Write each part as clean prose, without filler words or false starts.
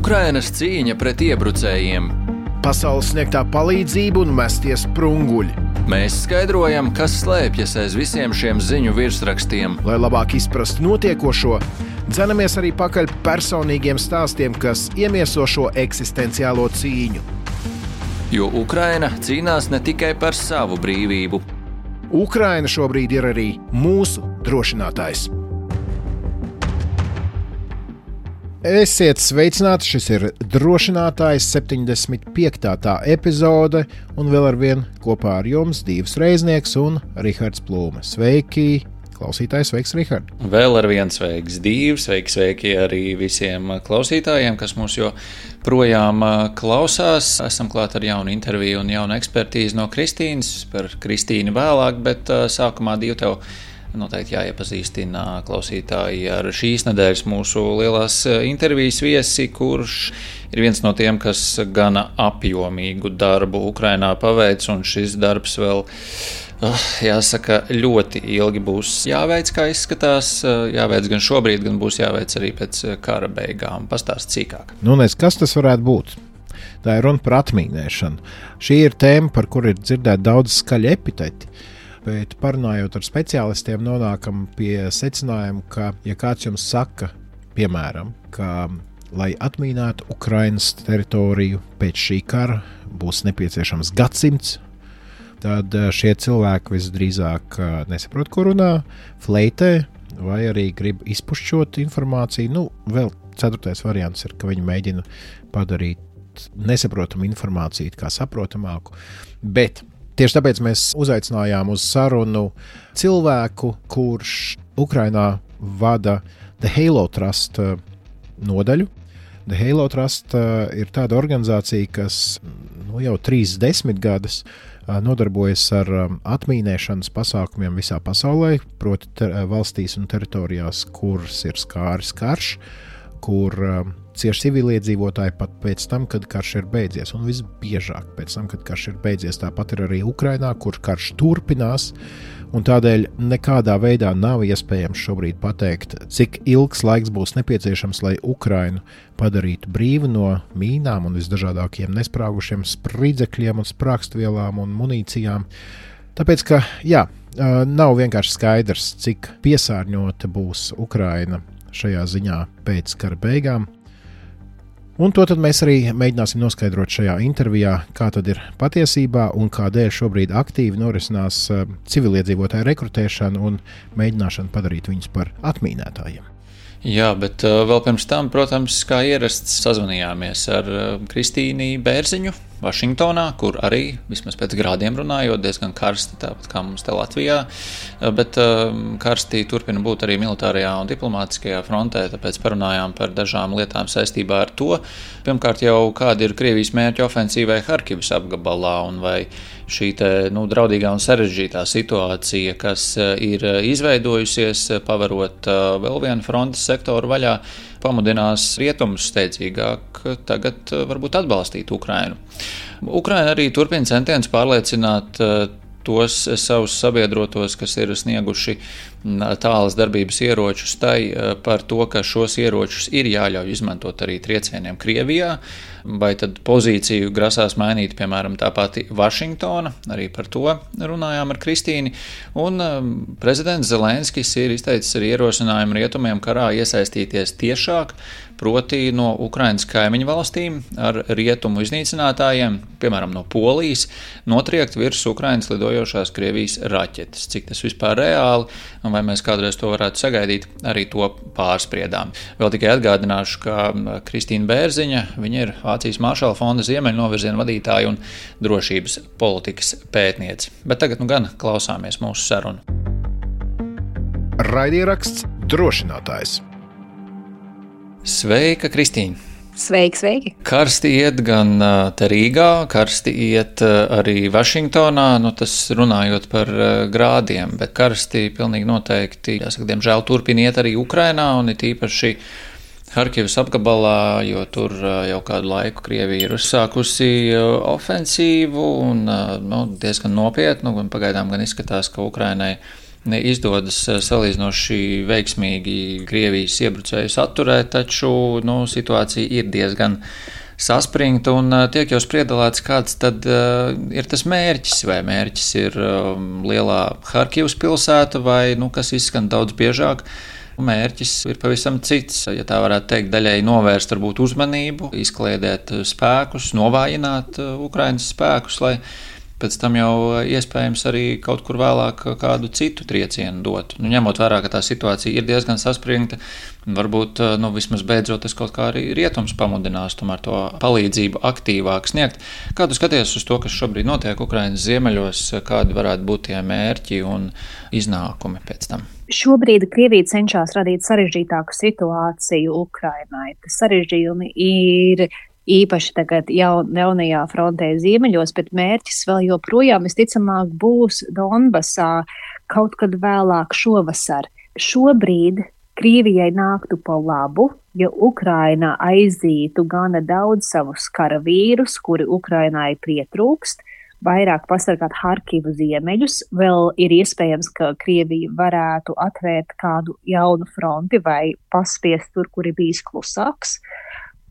Ukrainas cīņa pret iebrucējiem. Pasaules sniegtā palīdzība un mestie sprunguļi. Mēs skaidrojam, kas slēpjas aiz visiem šiem ziņu virsrakstiem. Lai labāk izprastu notiekošo, dzenamies arī pakaļ personīgiem stāstiem, kas iemieso šo eksistenciālo cīņu. Jo Ukraina cīnās ne tikai par savu brīvību. Ukraina šobrīd ir arī mūsu drošinātājs. Esiet sveicināti, šis ir drošinātājs 75. tā epizode, un vēl ar vien kopā ar jums Dīvs Reiznieks un Rihards Plūme. Sveiki, klausītājs, sveiks, Rihard! Vēl ar vien sveiks, Dīvs, sveiki arī visiem klausītājiem, kas mūs joprojām klausās. Esam klāt ar jaunu interviju un jaunu ekspertīzi no Kristīnas, par Kristīnu vēlāk, bet sākumā Dīv tev noteikti jāiepazīstina klausītāji ar šīs nedēļas mūsu lielās intervijas viesi, kurš ir viens no tiem, kas gana apjomīgu darbu Ukrainā paveic, un šis darbs vēl, jāsaka, ļoti ilgi būs jāveic, kā izskatās. Jāveic gan šobrīd, gan būs jāveic arī pēc kara beigām. Pastāst cīkāk. Kas tas varētu būt? Tā ir runa par atmīnēšanu. Šī ir tēma, par kuru ir dzirdēt daudz skaļi epiteti. Bet parunājot ar speciālistiem, nonākam pie secinājuma, ka, ja kāds jums saka, piemēram, ka, lai atmīnētu Ukrainas teritoriju pēc šī kara, būs nepieciešams gadsimts, tad šie cilvēki visdrīzāk nesaprot, ko runā, fleitē, vai arī grib izpušķot informāciju. Vēl ceturtais variants ir, ka viņi mēģina padarīt nesaprotamu informāciju kā saprotamāku, bet tieši tāpēc mēs uzaicinājām uz sarunu cilvēku, kurš Ukrainā vada The Halo Trust nodaļu. The Halo Trust ir tāda organizācija, kas jau 30 gadus nodarbojas ar atmīnēšanas pasākumiem visā pasaulē, proti valstīs un teritorijās, kuras ir skāris karš, kur cieši civiliedzīvotāji pat pēc tam, kad karš ir beidzies, un visbiežāk pēc tam, kad karš ir beidzies. Tāpat ir arī Ukrainā, kur karš turpinās, un tādēļ nekādā veidā nav iespējams šobrīd pateikt, cik ilgs laiks būs nepieciešams, lai Ukrainu padarītu brīvu no mīnām un visdažādākiem nesprāgušiem spridzekļiem un sprākstvielām un munīcijām. Tāpēc, ka, nav vienkārši skaidrs, cik piesārņota būs Ukraina šajā ziņā pēc kara beigām. Un to tad mēs arī mēģināsim noskaidrot šajā intervijā, kā tad ir patiesībā un kādēļ šobrīd aktīvi norisinās civiliedzīvotāju rekrutēšana un mēģināšana padarīt viņus par atmīnētājiem. Jā, bet vēl pirms tam, protams, kā ierasts, sazvanījāmies ar Kristīnu Bērziņu Vašingtonā, kur arī, vismaz pēc grādiem runājot, diezgan karsti, tāpat kā mums te Latvijā, bet karsti turpina būt arī militārajā un diplomātiskajā frontē, tāpēc parunājām par dažām lietām saistībā ar to. Pirmkārt jau, kāda ir Krievijas mērķa ofensīvai Harkivas apgabalā, un vai šī draudīgā un sarežģītā situācija, kas ir izveidojusies, pavarot vēl vienu frontes sektoru vaļā, pamudinās rietumus steidzīgāk tagad varbūt atbalstīt Ukrainu. Ukraina arī turpina centienus pārliecināt tos savus sabiedrotos, kas ir snieguši tālas darbības ieročus tai par to, ka šos ieročus ir jāļauj izmantot arī triecieniem Krievijā, vai tad pozīciju grasās mainīt, piemēram, tā pati Vašingtona, arī par to runājām ar Kristīni, un prezidents Zelenskis ir izteicis arī ierosinājumu rietumiem karā iesaistīties tiešāk, proti no Ukrainas kaimiņu valstīm ar rietumu iznīcinātājiem, piemēram, no Polijas, notriekt virs Ukrainas lidojošās Krievijas raķetes. Cik tas vispār reāli, un vai mēs kādreiz to varētu sagaidīt, arī to pārspriedām. Vēl tikai atgādināšu, ka Kristīna Bērziņa, viņa ir Vācijas Maršala fonda ziemeļnovirziena vadītāja un drošības politikas pētniece. Bet tagad gan klausāmies mūsu sarunu. Raidieraksts Drošinātājs. Sveika, Kristīna! Sveiki! Karsti iet gan te Rīgā, karsti iet arī Vašingtonā, tas runājot par grādiem, bet karsti pilnīgi noteikti, jāsaka, diemžēl turpina iet arī Ukrainā un it īpaši Harkivas apgabalā, jo tur jau kādu laiku Krievija ir uzsākusi ofensīvu un diezgan nopietnu, un pagaidām gan izskatās, ka Ukrainai izdodas salīdzinoši veiksmīgi Krievijas iebrucējus atturēt, taču situācija ir diezgan saspringta un tiek jau spriedalēts, kāds tad ir tas mērķis, vai mērķis ir lielā Harkivas pilsēta vai, kas izskan daudz biežāk. Mērķis ir pavisam cits, ja tā varētu teikt, daļēji novērst varbūt uzmanību, izkliedēt spēkus, novājināt Ukrainas spēkus, lai pēc tam jau iespējams arī kaut kur vēlāk kādu citu triecienu dot. Ņemot vērā, ka tā situācija ir diezgan saspringta, varbūt vismaz beidzot tas kaut kā arī rietums pamudinās tomēr to palīdzību aktīvāk sniegt. Kā tu skaties uz to, kas šobrīd notiek Ukrainas ziemeļos, kādi varētu būt tie mērķi un iznākumi pēc tam? Šobrīd Krievija cenšas radīt sarežģītāku situāciju Ukrainai. Tas sarežģījumi ir īpaši tagad jaunajā frontē ziemeļos, bet mērķis vēl joprojām visticamāk būs Donbasā kaut kad vēlāk šovasar. Šobrīd Krievijai nāktu pa labu, ja Ukraina aizītu gana daudz savus karavīrus, kuri Ukrainai pietrūkst, vairāk pasargāt Harkivu ziemeļus. Vēl ir iespējams, ka Krievija varētu atvērt kādu jaunu fronti vai paspiest tur, kur ir bijis klusāks,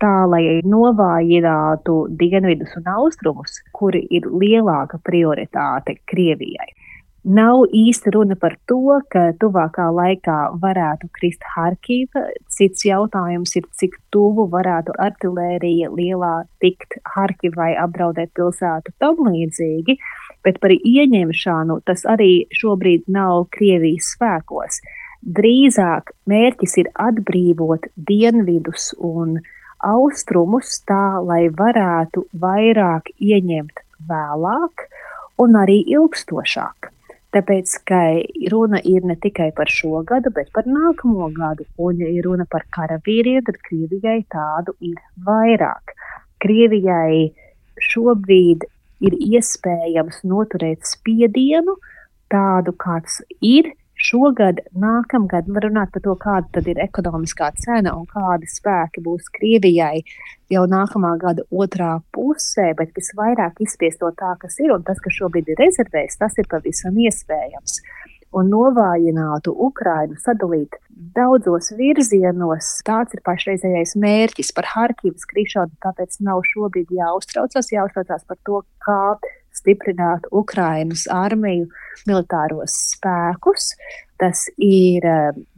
tā, lai novājinātu dienvidus un austrumus, kuri ir lielāka prioritāte Krievijai. Nav īsti runa par to, ka tuvākā laikā varētu krist Harkiva. Cits jautājums ir, cik tuvu varētu artilērija lielā tikt Harkivai, apdraudēt pilsētu tam līdzīgi, bet par ieņemšanu tas arī šobrīd nav Krievijas spēkos. Drīzāk mērķis ir atbrīvot dienvidus un austrumus tā, lai varētu vairāk ieņemt vēlāk un arī ilgstošāk. Tāpēc, ka runa ir ne tikai par šo gadu, bet par nākamo gadu. Un, ja ir runa par karavīriem, tad Krievijai tādu ir vairāk. Krievijai šobrīd ir iespējams noturēt spiedienu tādu, kāds ir šogad, nākamgad. Var runāt par to, kāda tad ir ekonomiskā cena un kādi spēki būs Krievijai jau nākamā gada otrā pusē, bet visvairāk izspiest to tā, kas ir, un tas, kas šobrīd ir rezervēs, tas ir pavisam iespējams. Un novājinātu Ukrainu, sadalīt daudzos virzienos, tāds ir pašreizējais mērķis. Par Harkivas krišanu tāpēc nav šobrīd jāuztraucās par to, kā stiprināt Ukrainas armiju, militāros spēkus. Tas ir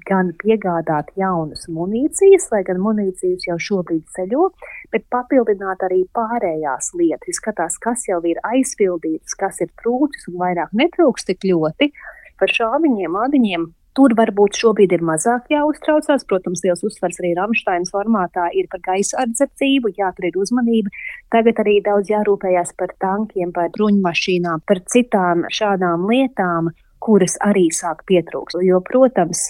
gan piegādāt jaunas munīcijas, lai gan munīcijas jau šobrīd ceļo, bet papildināt arī pārējās lietas. Skatās, kas jau ir aizpildīts, kas ir trūcis un vairāk netrūks tik ļoti. Par šāviņiem, ādiņiem tur varbūt šobrīd ir mazāk jāuztraucās. Protams, liels uzsvars arī Ramšteinas formātā ir par gaisa aizsardzību, tur ir uzmanība. Tagad arī daudz jārūpējās par tankiem, par bruņmašīnām, par citām šādām lietām, kuras arī sāk pietrūkt. Jo, protams,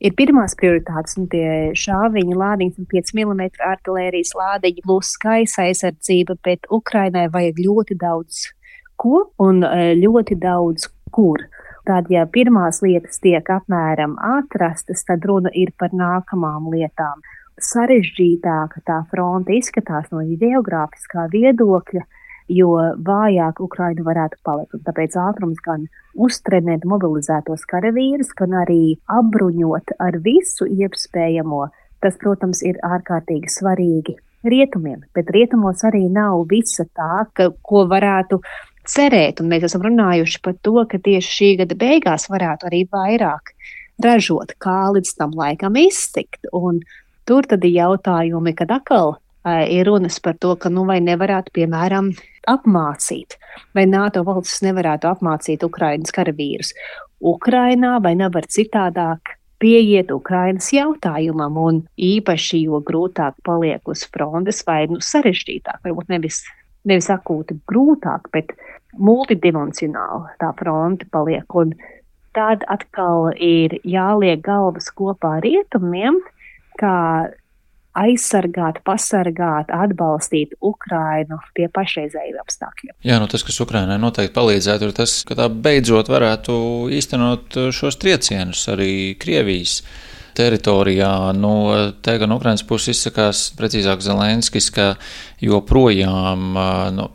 ir pirmās prioritātes un tie šāviņi, lādiņas un 5 mm artilērijas lādiņi plus gaisa aizsardzība, bet Ukrainai vajag ļoti daudz ko un ļoti daudz kur. Tad, ja pirmās lietas tiek apmēram atrastas, tad runa ir par nākamām lietām. Sarežģītāka tā fronte izskatās no geogrāfiskā viedokļa, jo vājāk Ukraina varētu palikt. Un tāpēc ātrums gan uztrenēt mobilizētos karavīrus, gan arī apbruņot ar visu iespējamo. Tas, protams, ir ārkārtīgi svarīgi rietumiem, bet rietumos arī nav visa tā, ko varētu cerēt, un mēs esam runājuši par to, ka tieši šī gada beigās varētu arī vairāk ražot, kā līdz tam laikam iztikt. Un tur tad ir jautājumi, kad atkal ir runas par to, ka vai nevarētu, piemēram, apmācīt, vai NATO valstis nevarētu apmācīt Ukrainas karavīrus Ukrainā, vai nevar citādāk pieiet Ukrainas jautājumam, un īpaši, jo grūtāk paliek uz frontes, vai sarežģītāk, varbūt nevis akūti grūtāk, bet multidimensionāli tā fronte paliek. Un tad atkal ir jāliek galvas kopā rietumiem, kā aizsargāt, pasargāt, atbalstīt Ukrainu pie pašreizējiem apstākļiem. Jā, tas, kas Ukrainai noteikti palīdzētu, ir tas, ka tā beidzot varētu īstenot šos triecienus arī Krievijas teritorijā. Te gan Ukrainas puses izsakās, precīzāk Zelenskis, ka joprojām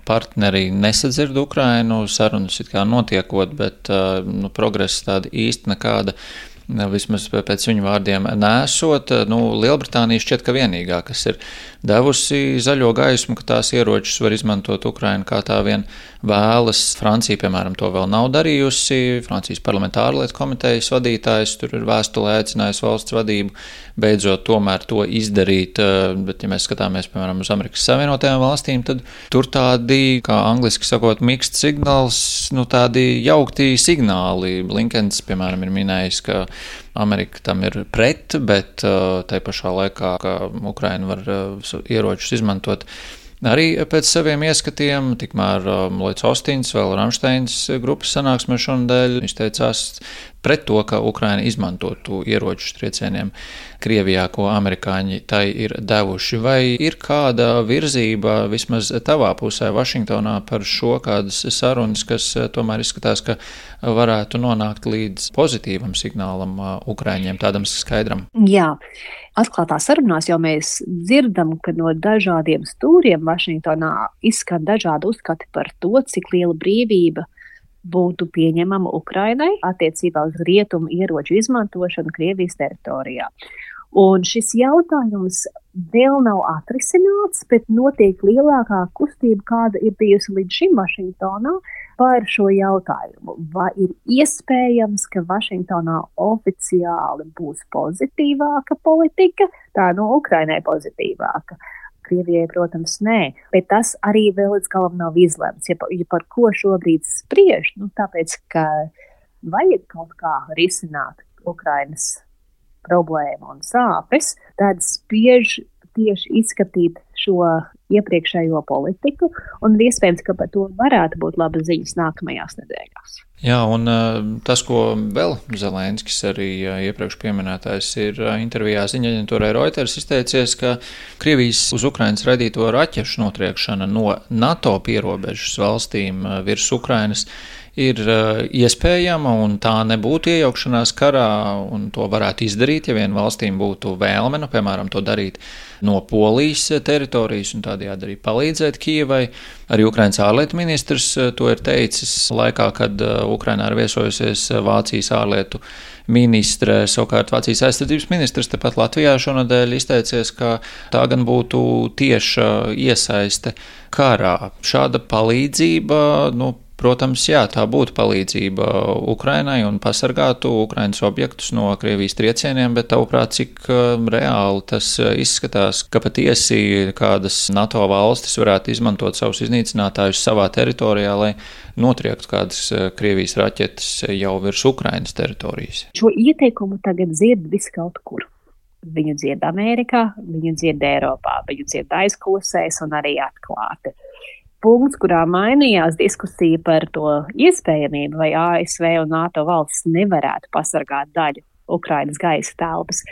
partneri nesadzird Ukrainu, sarunas it kā notiekot, bet progress tāda īsti nekāda. Vismaz pēc viņu vārdiem nesot. Lielbritānija šķiet, ka vienīgā, kas ir devusi zaļo gaismu, ka tās ieročus var izmantot Ukraina kā tā vien vēlas. Francija, piemēram, to vēl nav darījusi. Francijas parlamentāra lietu komitejas vadītājs tur ir vēstulē aicinājis valsts vadību beidzot tomēr to izdarīt. Bet, ja mēs skatāmies, piemēram, uz Amerikas Savienotajām valstīm, tad tur tādi, kā angliski sakot, mixed signals, tādi jaukti signāli. Blinkens, piemēram, ir minējis, ka Amerika tam ir pret, bet tai pašā laikā, ka Ukraina var ieročus izmantot arī pēc saviem ieskatiem. Tikmēr Lloyds Austins vēl Ramsteins grupas sanāksmē šonadēļ izteicās pret to, ka Ukraina izmantotu ieročus triecieniem Krievijā, ko amerikāņi tai ir devuši. Vai ir kāda virzība vismaz tavā pusē Vašingtonā par šo, kādas sarunas, kas tomēr izskatās, ka varētu nonākt līdz pozitīvam signālam Ukraiņiem, tādam skaidram? Jā. Atklātā sarunās jau mēs dzirdam, ka no dažādiem stūriem Vašingtonā izskan dažādi uzskati par to, cik liela brīvība būtu pieņemama Ukrainai attiecībā uz rietumu ieroču izmantošanu Krievijas teritorijā. Un šis jautājums vēl nav atrisināts, bet notiek lielākā kustība, kāda ir bijusi līdz šim Vašingtonā par šo jautājumu. Vai ir iespējams, ka Vašingtonā oficiāli būs pozitīvāka politika, tā Ukrainai pozitīvāka? Krievijai, protams, nē, bet tas arī vēl līdz galam nav izlemts. Ja par ko šobrīd spriež, tāpēc, ka vajag kaut kā risināt Ukrainas problēmu un sāpes, tad spiež tieši izskatīt šo iepriekšējo politiku, un iespējams, ka par to varētu būt labas ziņas nākamajās nedēļās. Jā, un tas, ko vēl Zelenskis arī iepriekš pieminētājs ir intervijā ziņa aģentūrai Reuters izteicies, ka Krievijas uz Ukrainas raidīto raķešu notriekšana no NATO pierobežas valstīm virs Ukrainas ir iespējama, un tā nebūtu iejaukšanās karā, un to varētu izdarīt, ja vien valstīm būtu vēlme, piemēram, to darīt no Polijas teritorijas un tādējādi arī palīdzēt Kijevai. Arī Ukrainas ārlietu ministrs to ir teicis laikā, kad Ukrainā ir viesojusies Vācijas ārlietu ministre. Savukārt Vācijas aizsardzības ministrs tepat Latvijā šonadēļ izteicies, ka tā gan būtu tieša iesaiste karā. Šāda palīdzība, protams, jā, tā būtu palīdzība Ukrainai un pasargātu Ukrainas objektus no Krievijas triecieniem, bet tavuprāt, cik reāli tas izskatās, ka patiesi kādas NATO valstis varētu izmantot savus iznīcinātājus savā teritorijā, lai notriektu kādas Krievijas raķetes jau virs Ukrainas teritorijas? Šo ieteikumu tagad dzird viskaut kur. Viņu dzird Amerikā, viņu dzird Eiropā, viņu dzird aizkulisēs un arī atklāti. Punkts, kurā mainījās diskusija par to iespējamību, vai ASV un NATO valsts nevarētu pasargāt daļu Ukrainas gaisa telpas.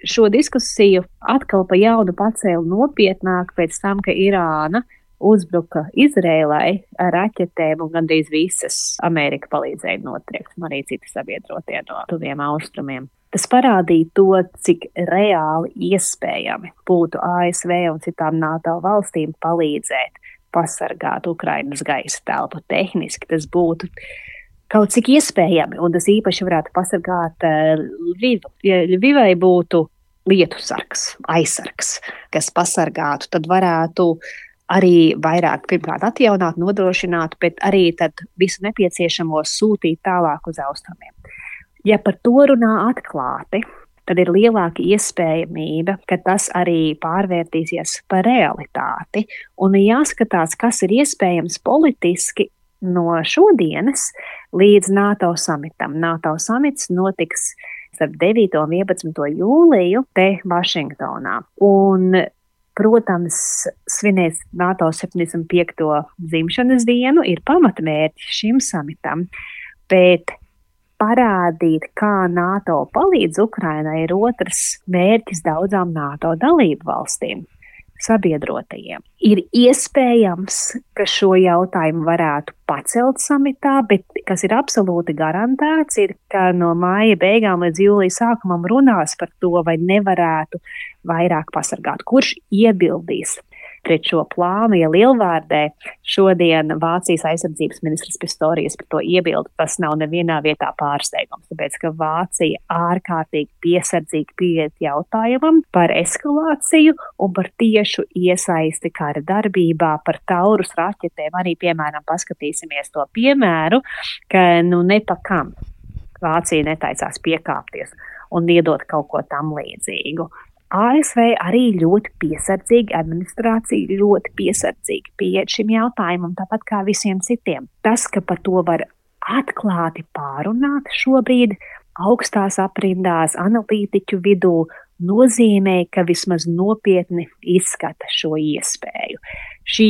Šo diskusiju atkal pa jaunu pacēla nopietnāk pēc tam, ka Irāna uzbruka Izrēlai ar raķetēm un gandrīz visas Amerika palīdzēja notriekt, un arī citi sabiedrotie no tuviem austrumiem. Tas parādīja to, cik reāli iespējami būtu ASV un citām NATO valstīm palīdzēt pasargāt Ukrainas gaisa telpu. Tehniski tas būtu kaut cik iespējami, un tas īpaši varētu pasargāt Ļvivu. Ja Ļvivai būtu lietusargs, aizsargs, kas pasargātu, tad varētu arī vairāk pirmkārt atjaunāt, nodrošināt, bet arī tad visu nepieciešamo sūtīt tālāk uz austrumiem. Ja par to runā atklāti, tad ir lielāka iespējamība, ka tas arī pārvērtīsies par realitāti. Un jāskatās, kas ir iespējams politiski no šodienas līdz NATO samitam. NATO samits notiks starp 9. un 11. jūliju te Vašingtonā. Un, protams, svinēs NATO 75. dzimšanas dienu ir pamatmērķi šim samitam, bet parādīt, kā NATO palīdz Ukrainai, ir otrs mērķis daudzām NATO dalību valstīm. sabiedrotajiem. Ir iespējams, ka šo jautājumu varētu pacelt samitā, bet kas ir absolūti garantēts, ir, ka no māja beigām līdz jūlija sākumam runās par to, vai nevarētu vairāk pasargāt. Kurš iebildīs pret šo plānu, ja lielvārdē šodien Vācijas aizsardzības ministrs Pistorius par to iebildu, tas nav nevienā vietā pārsteigums, tāpēc, ka Vācija ārkārtīgi piesardzīgi pieiet jautājumam par eskalāciju un par tiešu iesaisti kara darbībā, par Taurus raķetēm. Arī, piemēram, paskatīsimies to piemēru, ka nepakam Vācija netaicās piekāpties un iedot kaut ko tam līdzīgu. ASV arī ļoti piesardzīgi, administrācija ļoti piesardzīgi pieiet šim jautājumam, tāpat kā visiem citiem. Tas, ka par to var atklāti pārunāt šobrīd augstās aprindās analītiķu vidū, nozīmē, ka vismaz nopietni izskata šo iespēju. Šī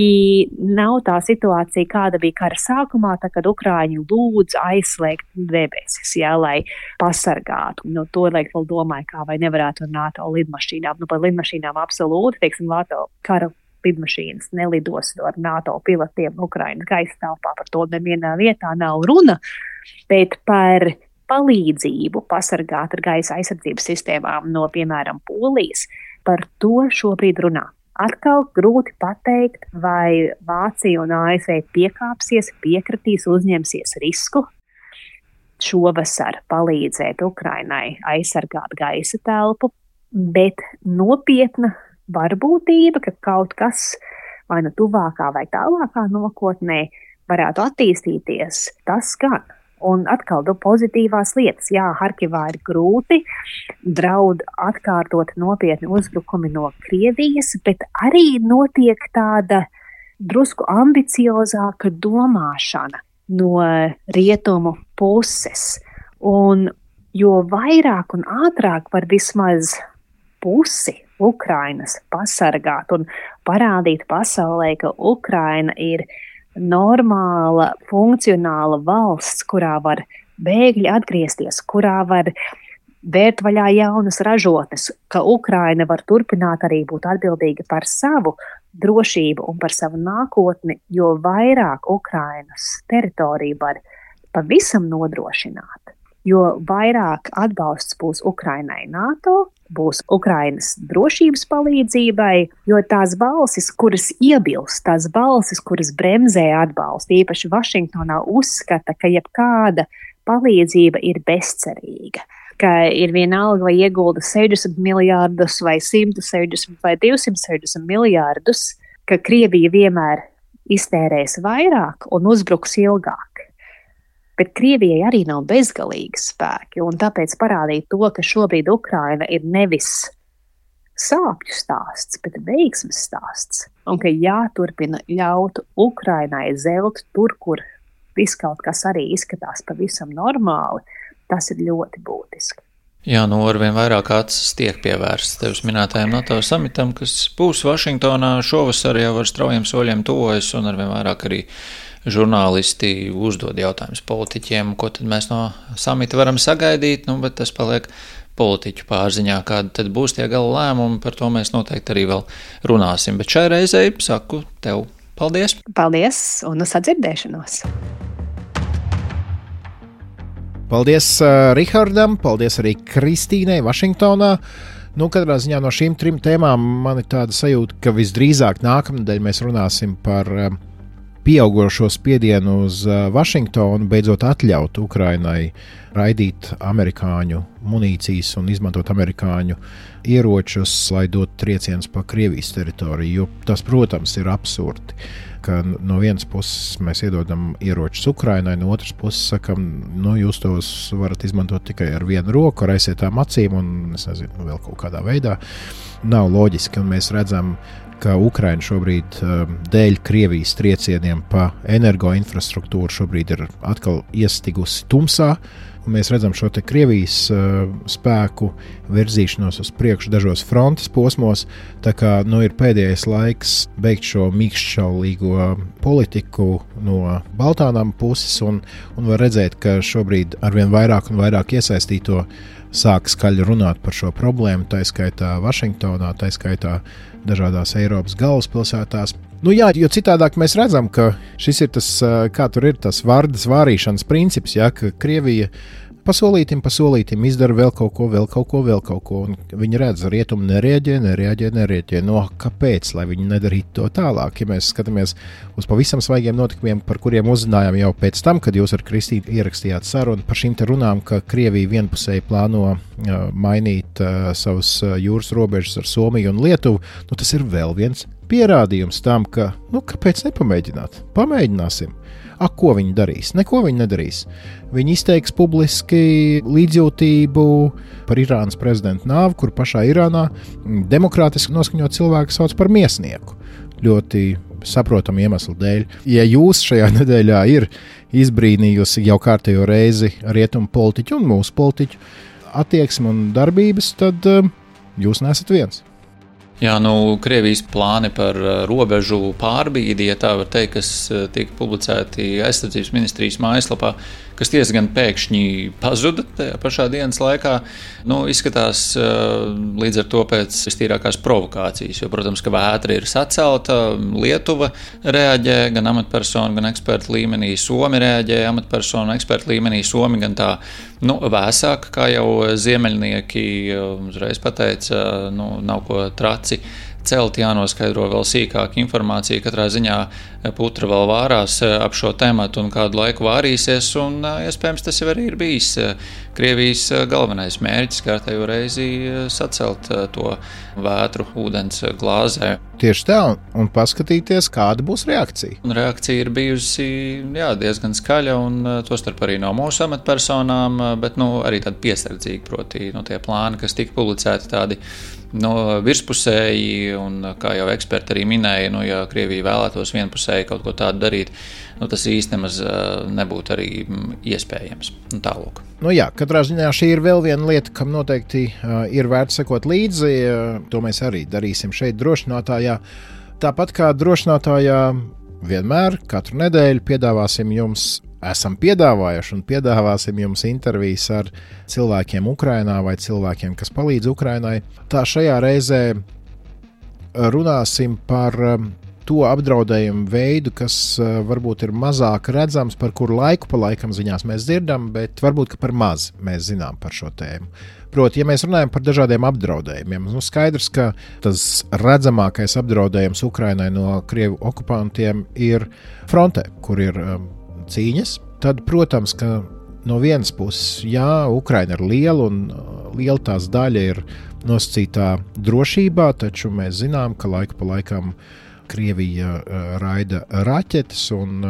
nav tā situācija, kāda bija kara sākumā, kad Ukraiņi lūdz aizslēgt debesis, lai pasargātu. To liek vēl domāju, kā vai nevarētu ar NATO lidmašīnām. Par lidmašīnām absolūti, teiksim, NATO kara lidmašīnas nelidos ar NATO pilotiem Ukrainas gaisa telpā, par to nevienā vietā nav runa, bet par palīdzību pasargāt ar gaisa aizsardzības sistēmām no, piemēram, Polijas, par to šobrīd runā. Atkal grūti pateikt, vai Vācija un ASV piekāpsies, piekritīs, uzņemsies risku šovasar palīdzēt Ukrainai aizsargāt gaisa telpu, bet nopietna varbūtība, ka kaut kas vai nu tuvākā vai tālākā nākotnē varētu attīstīties, tas gan. Un atkal pozitīvās lietas. Jā, Harkivā ir grūti, draud atkārtot nopietni uzbrukumi no Krievijas, bet arī notiek tāda drusku ambiciozāka domāšana no rietumu puses. Un jo vairāk un ātrāk var vismaz pusi Ukrainas pasargāt un parādīt pasaulē, ka Ukraina ir normāla, funkcionāla valsts, kurā var bēgļi atgriezties, kurā var vērt vaļā jaunas ražotnes, ka Ukraina var turpināt arī būt atbildīga par savu drošību un par savu nākotni, jo vairāk Ukrainas teritoriju var pavisam nodrošināt, jo vairāk atbalsts būs Ukrainai NATO, būs Ukrainas drošības palīdzībai, jo tās balsis, kuras iebilst, tās balsis, kuras bremzē atbalstu, īpaši Vašingtonā uzskata, ka jebkāda palīdzība ir bezcerīga, ka ir vienalga, vai iegulda 60 miljārdus vai 160 vai 260 miljārdus, ka Krievija vienmēr iztērēs vairāk un uzbruks ilgāk. Bet Krievijai arī nav bezgalīgi spēki, un tāpēc parādīt to, ka šobrīd Ukraina ir nevis sāpju stāsts, bet veiksmes stāsts, un ka jāturpina ļaut Ukrainai zelt tur, kur viss kaut kas arī izskatās pavisam normāli, tas ir ļoti būtiski. Jā, arvien vairāk acis tiek pievērsts tevis minētajam NATO samitam, kas būs Vašingtonā šovasar jau ar straujiem soļiem tuvojas, un arvien vairāk arī žurnālisti uzdod jautājumus politiķiem, ko tad mēs no samita varam sagaidīt, bet tas paliek politiķu pārziņā, kāda tad būs tie gala lēmumi, par to mēs noteikti arī vēl runāsim. Bet šai reizei saku tev paldies! Paldies un uz sadzirdēšanos! Paldies Rihardam, paldies arī Kristīnai Vašingtonā. Katrā ziņā no šīm 3 tēmām man ir tāda sajūta, ka visdrīzāk nākamnedēļ mēs runāsim par pieaugošo spiedienu uz Vašingtonu, beidzot atļaut Ukrainai raidīt amerikāņu munīcijas un izmantot amerikāņu ieročus, lai dotu triecienus pa Krievijas teritoriju, jo tas, protams, ir absurdi, ka no vienas puses mēs iedodam ieročus Ukrainai, no otras puses sakam, jūs tos varat izmantot tikai ar vienu roku, ar aizsietām acīm un, es nezinu, vēl kaut kādā veidā. Nav loģiski, un mēs redzam, ka Ukraina šobrīd dēļ Krievijas triecieniem pa energoinfrastruktūru šobrīd ir atkal iestigusi tumsā. Un mēs redzam šo te Krievijas spēku virzīšanos uz priekšu dažos frontes posmos, tā kā ir pēdējais laiks beigt šo mīkšķaulīgo politiku no Baltānām puses un var redzēt, ka šobrīd arvien vairāk un vairāk iesaistīto sāk skaļi runāt par šo problēmu, tā skaitā Vašingtonā, tā skaitā dažādās Eiropas galvaspilsētās. Jo citādāk mēs redzam, ka šis ir tas, kā tur ir tas vardas vārīšanas princips, ka Krievija pasolītim izdara vēl kaut ko, un viņi redz, rietumi nereaģē. Kāpēc, lai viņi nedarītu to tālāk? Ja mēs skatāmies uz pavisam svaigiem notikumiem, par kuriem uzzinājām jau pēc tam, kad jūs ar Kristīnu ierakstījāt sarunu par šīm te runām, ka Krievija vienpusēji plāno mainīt savus jūras robežas ar Somiju un Lietuvu, tas ir vēl viens pierādījums tam, ka, kāpēc nepamēģināt? Pamēģināsim. Ko viņi darīs? Neko viņi nedarīs. Viņi izteiks publiski līdzjūtību par Irānas prezidentu nāvi, kur pašā Irānā demokrātiski noskaņot cilvēku sauc par miesnieku. Ļoti saprotamu iemeslu dēļ. Ja jūs šajā nedēļā ir izbrīnījusi jau kārtējo reizi rietumu politiķu un mūsu politiķu attieksmi un darbības, tad jūs nesat viens. Jā, Krievijas plāni par robežu pārbīdi, ja tā var teikt, kas tika publicēti aizsardzības ministrijas mājaslapā, kas diezgan pēkšņi pazuda tajā pašā dienas laikā, izskatās līdz ar to pēc vistīrākās provokācijas, jo, protams, ka vētra ir sacelta, Lietuva reaģē gan amatpersonu, gan ekspertu līmenī, Somi reaģē amatpersonu, ekspertu līmenī, Somi gan tā, vēsāk, kā jau ziemeļnieki uzreiz pateica, nav ko traci celt, jānoskaidro vēl sīkāk informācija. Katrā ziņā putra vēl vārās ap šo tematu un kādu laiku vārīsies, un iespējams tas jau arī ir bijis Krievijas galvenais mērķis kārtējo reizi sacelt to vētru ūdens glāzē. Tieši tā, un paskatīties, kāda būs reakcija. Un reakcija ir bijusi diezgan skaļa, un tostarp arī no mūsu amatpersonām, bet arī tādi piesardzīga, proti tie plāni, kas tika publicēti tādi virspusēji, un kā jau eksperti arī minēja, ja Krievija vēlētos vienpusēji kaut ko tādu darīt, tas īsti nemaz nebūtu arī iespējams. Tālūk. Katrā ziņā šī ir vēl viena lieta, kam noteikti ir vērts sekot līdzi. To mēs arī darīsim šeit drošinātājā. Tāpat kā drošinātājā vienmēr, katru nedēļu esam piedāvājuši un piedāvāsim jums intervijas ar cilvēkiem Ukrainā vai cilvēkiem, kas palīdz Ukrainai. Tā šajā reizē runāsim par to apdraudējumu veidu, kas varbūt ir mazāk redzams, par kuru laiku pa laikam ziņās mēs dzirdam, bet varbūt par maz mēs zinām par šo tēmu. Proti, ja mēs runājam par dažādiem apdraudējumiem, skaidrs, ka tas redzamākais apdraudējums Ukrainai no Krievu okupantiem ir frontē, kur ir cīņas. Tad, protams, ka no vienas puses, Ukraina ir liela un liela tās daļa ir nosacītā drošībā, taču mēs zinām, ka laiku pa laikam Krievija raida raķetes un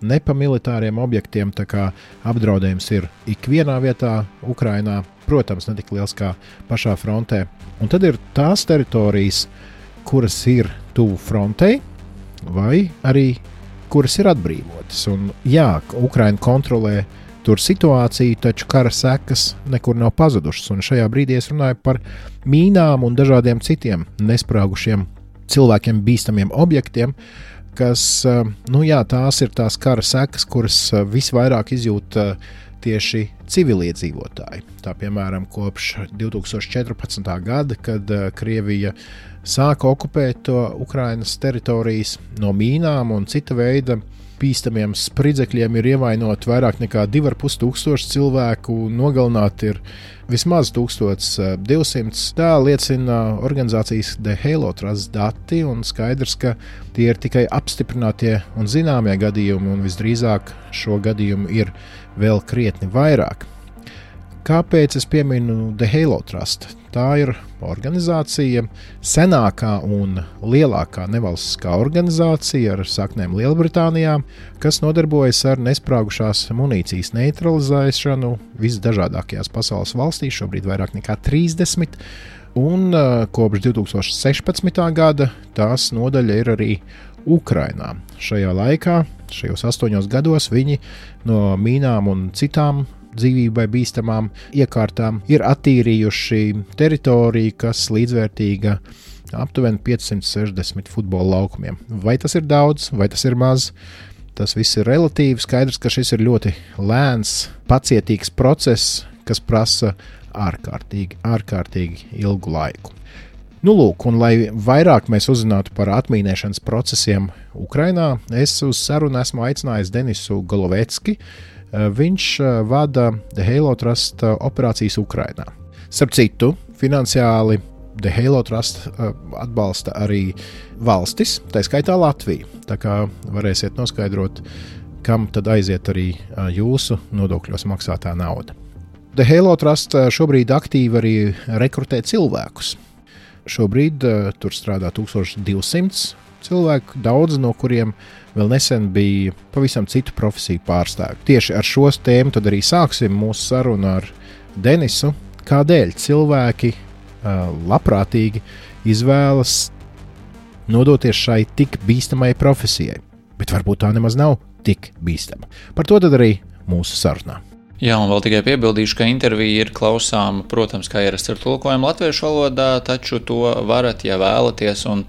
nepamilitāriem objektiem, tā kā apdraudējums ir ikvienā vietā Ukrainā, protams, ne tik liels kā pašā frontē. Un tad ir tās teritorijas, kuras ir tuvu frontei, vai arī kuras ir atbrīvotas. Un, Ukraina kontrolē tur situāciju, taču kara sekas nekur nav pazudušas. Un šajā brīdī es runāju par mīnām un dažādiem citiem nesprāgušiem cilvēkiem bīstamiem objektiem, kas, tās ir tās kara sekas, kuras visvairāk izjūt tieši civiliedzīvotāji. Tā, piemēram, kopš 2014. gada, kad Krievija sāka okupēt Ukrainas teritorijas, no mīnām un cita veida bīstamiem spridzekļiem ir ievainoti vairāk nekā 2500 cilvēku, nogalināti ir vismaz 1200. Tā liecina organizācijas The Halo Trust dati, un skaidrs, ka tie ir tikai apstiprinātie un zināmie gadījumi, un visdrīzāk šo gadījumu ir vēl krietni vairāk. Kāpēc es pieminu The Halo Trust? Tā ir organizācija, senākā un lielākā nevalstiskā organizācija ar saknēm Lielbritānijā, kas nodarbojas ar nesprāgušās munīcijas neutralizēšanu visdažādākajās pasaules valstīs, šobrīd vairāk nekā 30, un kopš 2016. gada tās nodaļa ir arī Ukrainā. Šajā laikā, šajos 8 gados, viņi no mīnām un citām dzīvībai bīstamām iekārtām ir attīrījuši teritoriju, kas līdzvērtīga aptuveni 560 futbola laukumiem. Vai tas ir daudz, vai tas ir maz? Tas viss ir relatīvi. Skaidrs, ka šis ir ļoti lēns, pacietīgs process, kas prasa ārkārtīgi ilgu laiku. Nu, lūk, un lai vairāk mēs uzzinātu par atmīnēšanas procesiem Ukrainā, es uz sarunu esmu aicinājis Denisu Golovecki. Viņš vada The Halo Trust operācijas Ukrainā. Starp citu, finansiāli The Halo Trust atbalsta arī valstis, tā skaitā Latviju. Tā kā varēsiet noskaidrot, kam tad aiziet arī jūsu nodokļos maksātā nauda. The Halo Trust šobrīd aktīvi arī rekrutē cilvēkus. Šobrīd tur strādā 1200 cilvēku, daudz no kuriem vēl nesen bija pavisam citu profesiju pārstāvji. Tieši ar šo tēmu tad arī sāksim mūsu sarunu ar Denisu. Kādēļ cilvēki labprātīgi izvēlas nodoties šai tik bīstamai profesijai, bet varbūt tā nemaz nav tik bīstama. Par to tad arī mūsu sarunā. Jā, un vēl tikai piebildīšu, ka intervija ir klausāma, protams, kā ierasts ar tulkojumu latviešu valodā, taču to varat, ja vēlaties un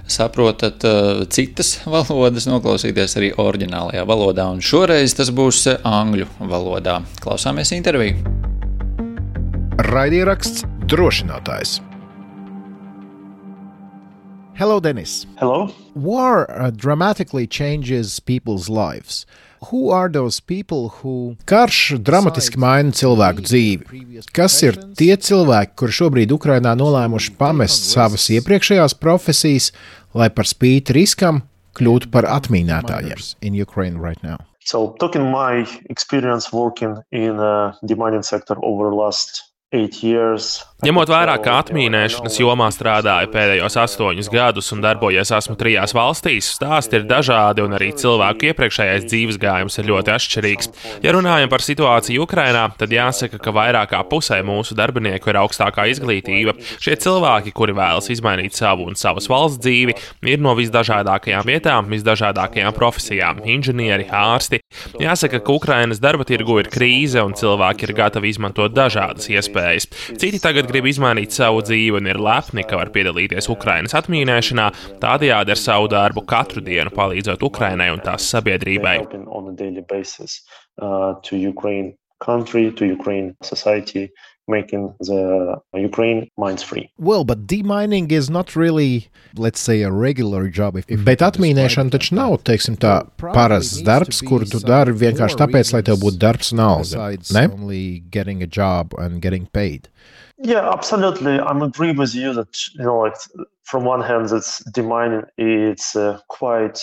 saprotat citas valodas, noklausīties arī oriģinālajā valodā, un šoreiz tas būs angļu valodā. Klausāmies interviju. Raidieraksts Drošinātājs. Hello, Denis. Hello. War dramatically changes people's lives. Who are those people who... Karš dramatiski maina cilvēku dzīvi. Kas ir tie cilvēki, kuri šobrīd Ukrainā nolēmuši pamest savas iepriekšējās profesijas, lai par spīti riskam kļūtu par atmīnētājiem in Ukraine right now? So, talking my experience working in the mining sector over the last 8 years. Ņemot vērā, ka atmīnēšanas jomā strādāju pēdējos 8 gadus un darbojies esmu 3 valstīs, stāsti ir dažādi un arī cilvēku iepriekšējais dzīves gājums ir ļoti atšķirīgs. Ja runājam par situāciju Ukrainā, tad jāsaka, ka vairāk kā pusē mūsu darbinieku ir augstākā izglītība. Šie cilvēki, kuri vēlas izmainīt savu un savas valsts dzīvi, ir no visdažādākajām vietām, visdažādākajām profesijām - inženieri, ārsti. Jāsaka, ka Ukrainas darba tirgu ir krīze un cilvēki ir gatavi izmantot dažādas iespējas. Citi tagad grib izmainīt savu dzīvi un ir lepni, ka var piedalīties Ukrainas atmīnēšanā, tādējādi ar savu darbu katru dienu palīdzot Ukrainai un tās sabiedrībai. Making the Ukraine mines free. Well, but demining is not really, let's say, a regular job. Bet atmīnēšana taču nav, teiksim tā, parasts darbs, kuru tu dari vienkārši tāpēc, lai tev būtu darbs un alga, ne? Only getting a job and getting paid. Yeah, absolutely. I'm agree with you that, like, from one hand, it's demining, it's quite...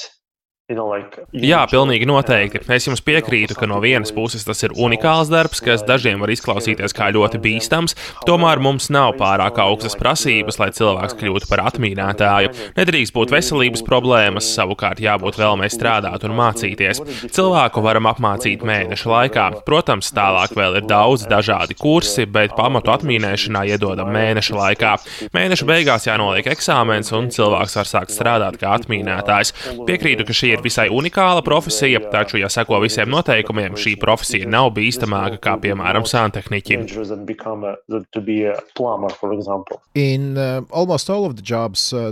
Jā, pilnīgi noteikti. Es jums piekrītu, ka no vienas puses tas ir unikāls darbs, kas dažiem var izklausīties kā ļoti bīstams, tomēr mums nav pārāk augstas prasības, lai cilvēks kļūtu par atmīnētāju. Nedrīkst būt veselības problēmas, savukārt jābūt vēlmei strādāt un mācīties. Cilvēku varam apmācīt mēneša laikā. Protams, tālāk vēl ir daudz dažādi kursi, bet pamatu atmīnēšanā iedodam mēneša laikā. Mēneša beigās jānoliek eksāmens un cilvēks var sākt strādāt kā atmīnētājs. Piekrītu, ka šī ir visai unikāla profesija, taču, ja seko visiem noteikumiem, šī profesija nav bīstamāka kā, piemēram, santehniķim.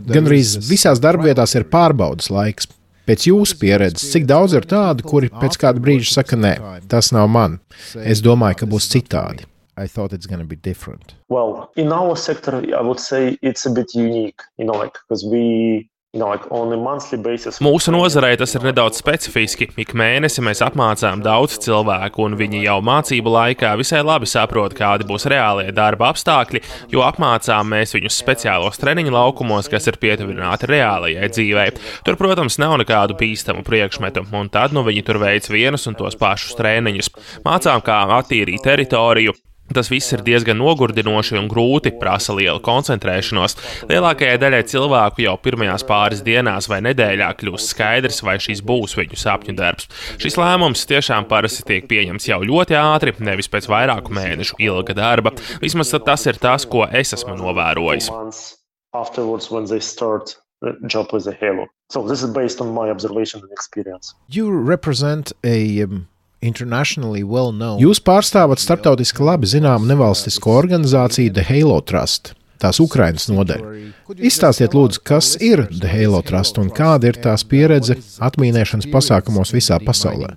Gandrīz visās darbvietās ir pārbaudas laiks. Pēc jūsu pieredzes, cik daudz ir tādu, kuri pēc kāda brīža saka, nē, tas nav man. Es domāju, ka būs citādi. I thought it's going to be different. Well, in our sector, I would say it's a bit unique, because we... Mūsu nozarei tas ir nedaudz specifiski. Ik mēnesi mēs apmācām daudz cilvēku, un viņi jau mācību laikā visai labi saprot, kādi būs reālie darba apstākļi, jo apmācām mēs viņus speciālos treniņu laukumos, kas ir pietuvināti reālajai dzīvei. Tur, protams, nav nekādu bīstamu priekšmetu, un tad viņi tur veic vienus un tos pašus treniņus. Mācām, kā attīrīt teritoriju. Tas viss ir diezgan nogurdinoši un grūti, prasa lielu koncentrēšanos. Lielākajai daļai cilvēku jau pirmajās pāris dienās vai nedēļā kļūst skaidrs, vai šis būs viņu sapņu darbs. Šis lēmums tiešām parasti tiek pieņemts jau ļoti ātri, nevis pēc vairāku mēnešu ilga darba. Vismaz tas ir tas, ko es esmu novērojis. Job with the Halo. So this is based on my observation and experience. You represent a internationally well known. Jūs pārstāvat starptautiski labi zināmu nevalstisko organizāciju The Halo Trust, tās Ukrainas nodaļa. Izstāstiet lūdzu, kas ir The Halo Trust un kāda ir tās pieredze atmīnēšanas pasākumos visā pasaulē.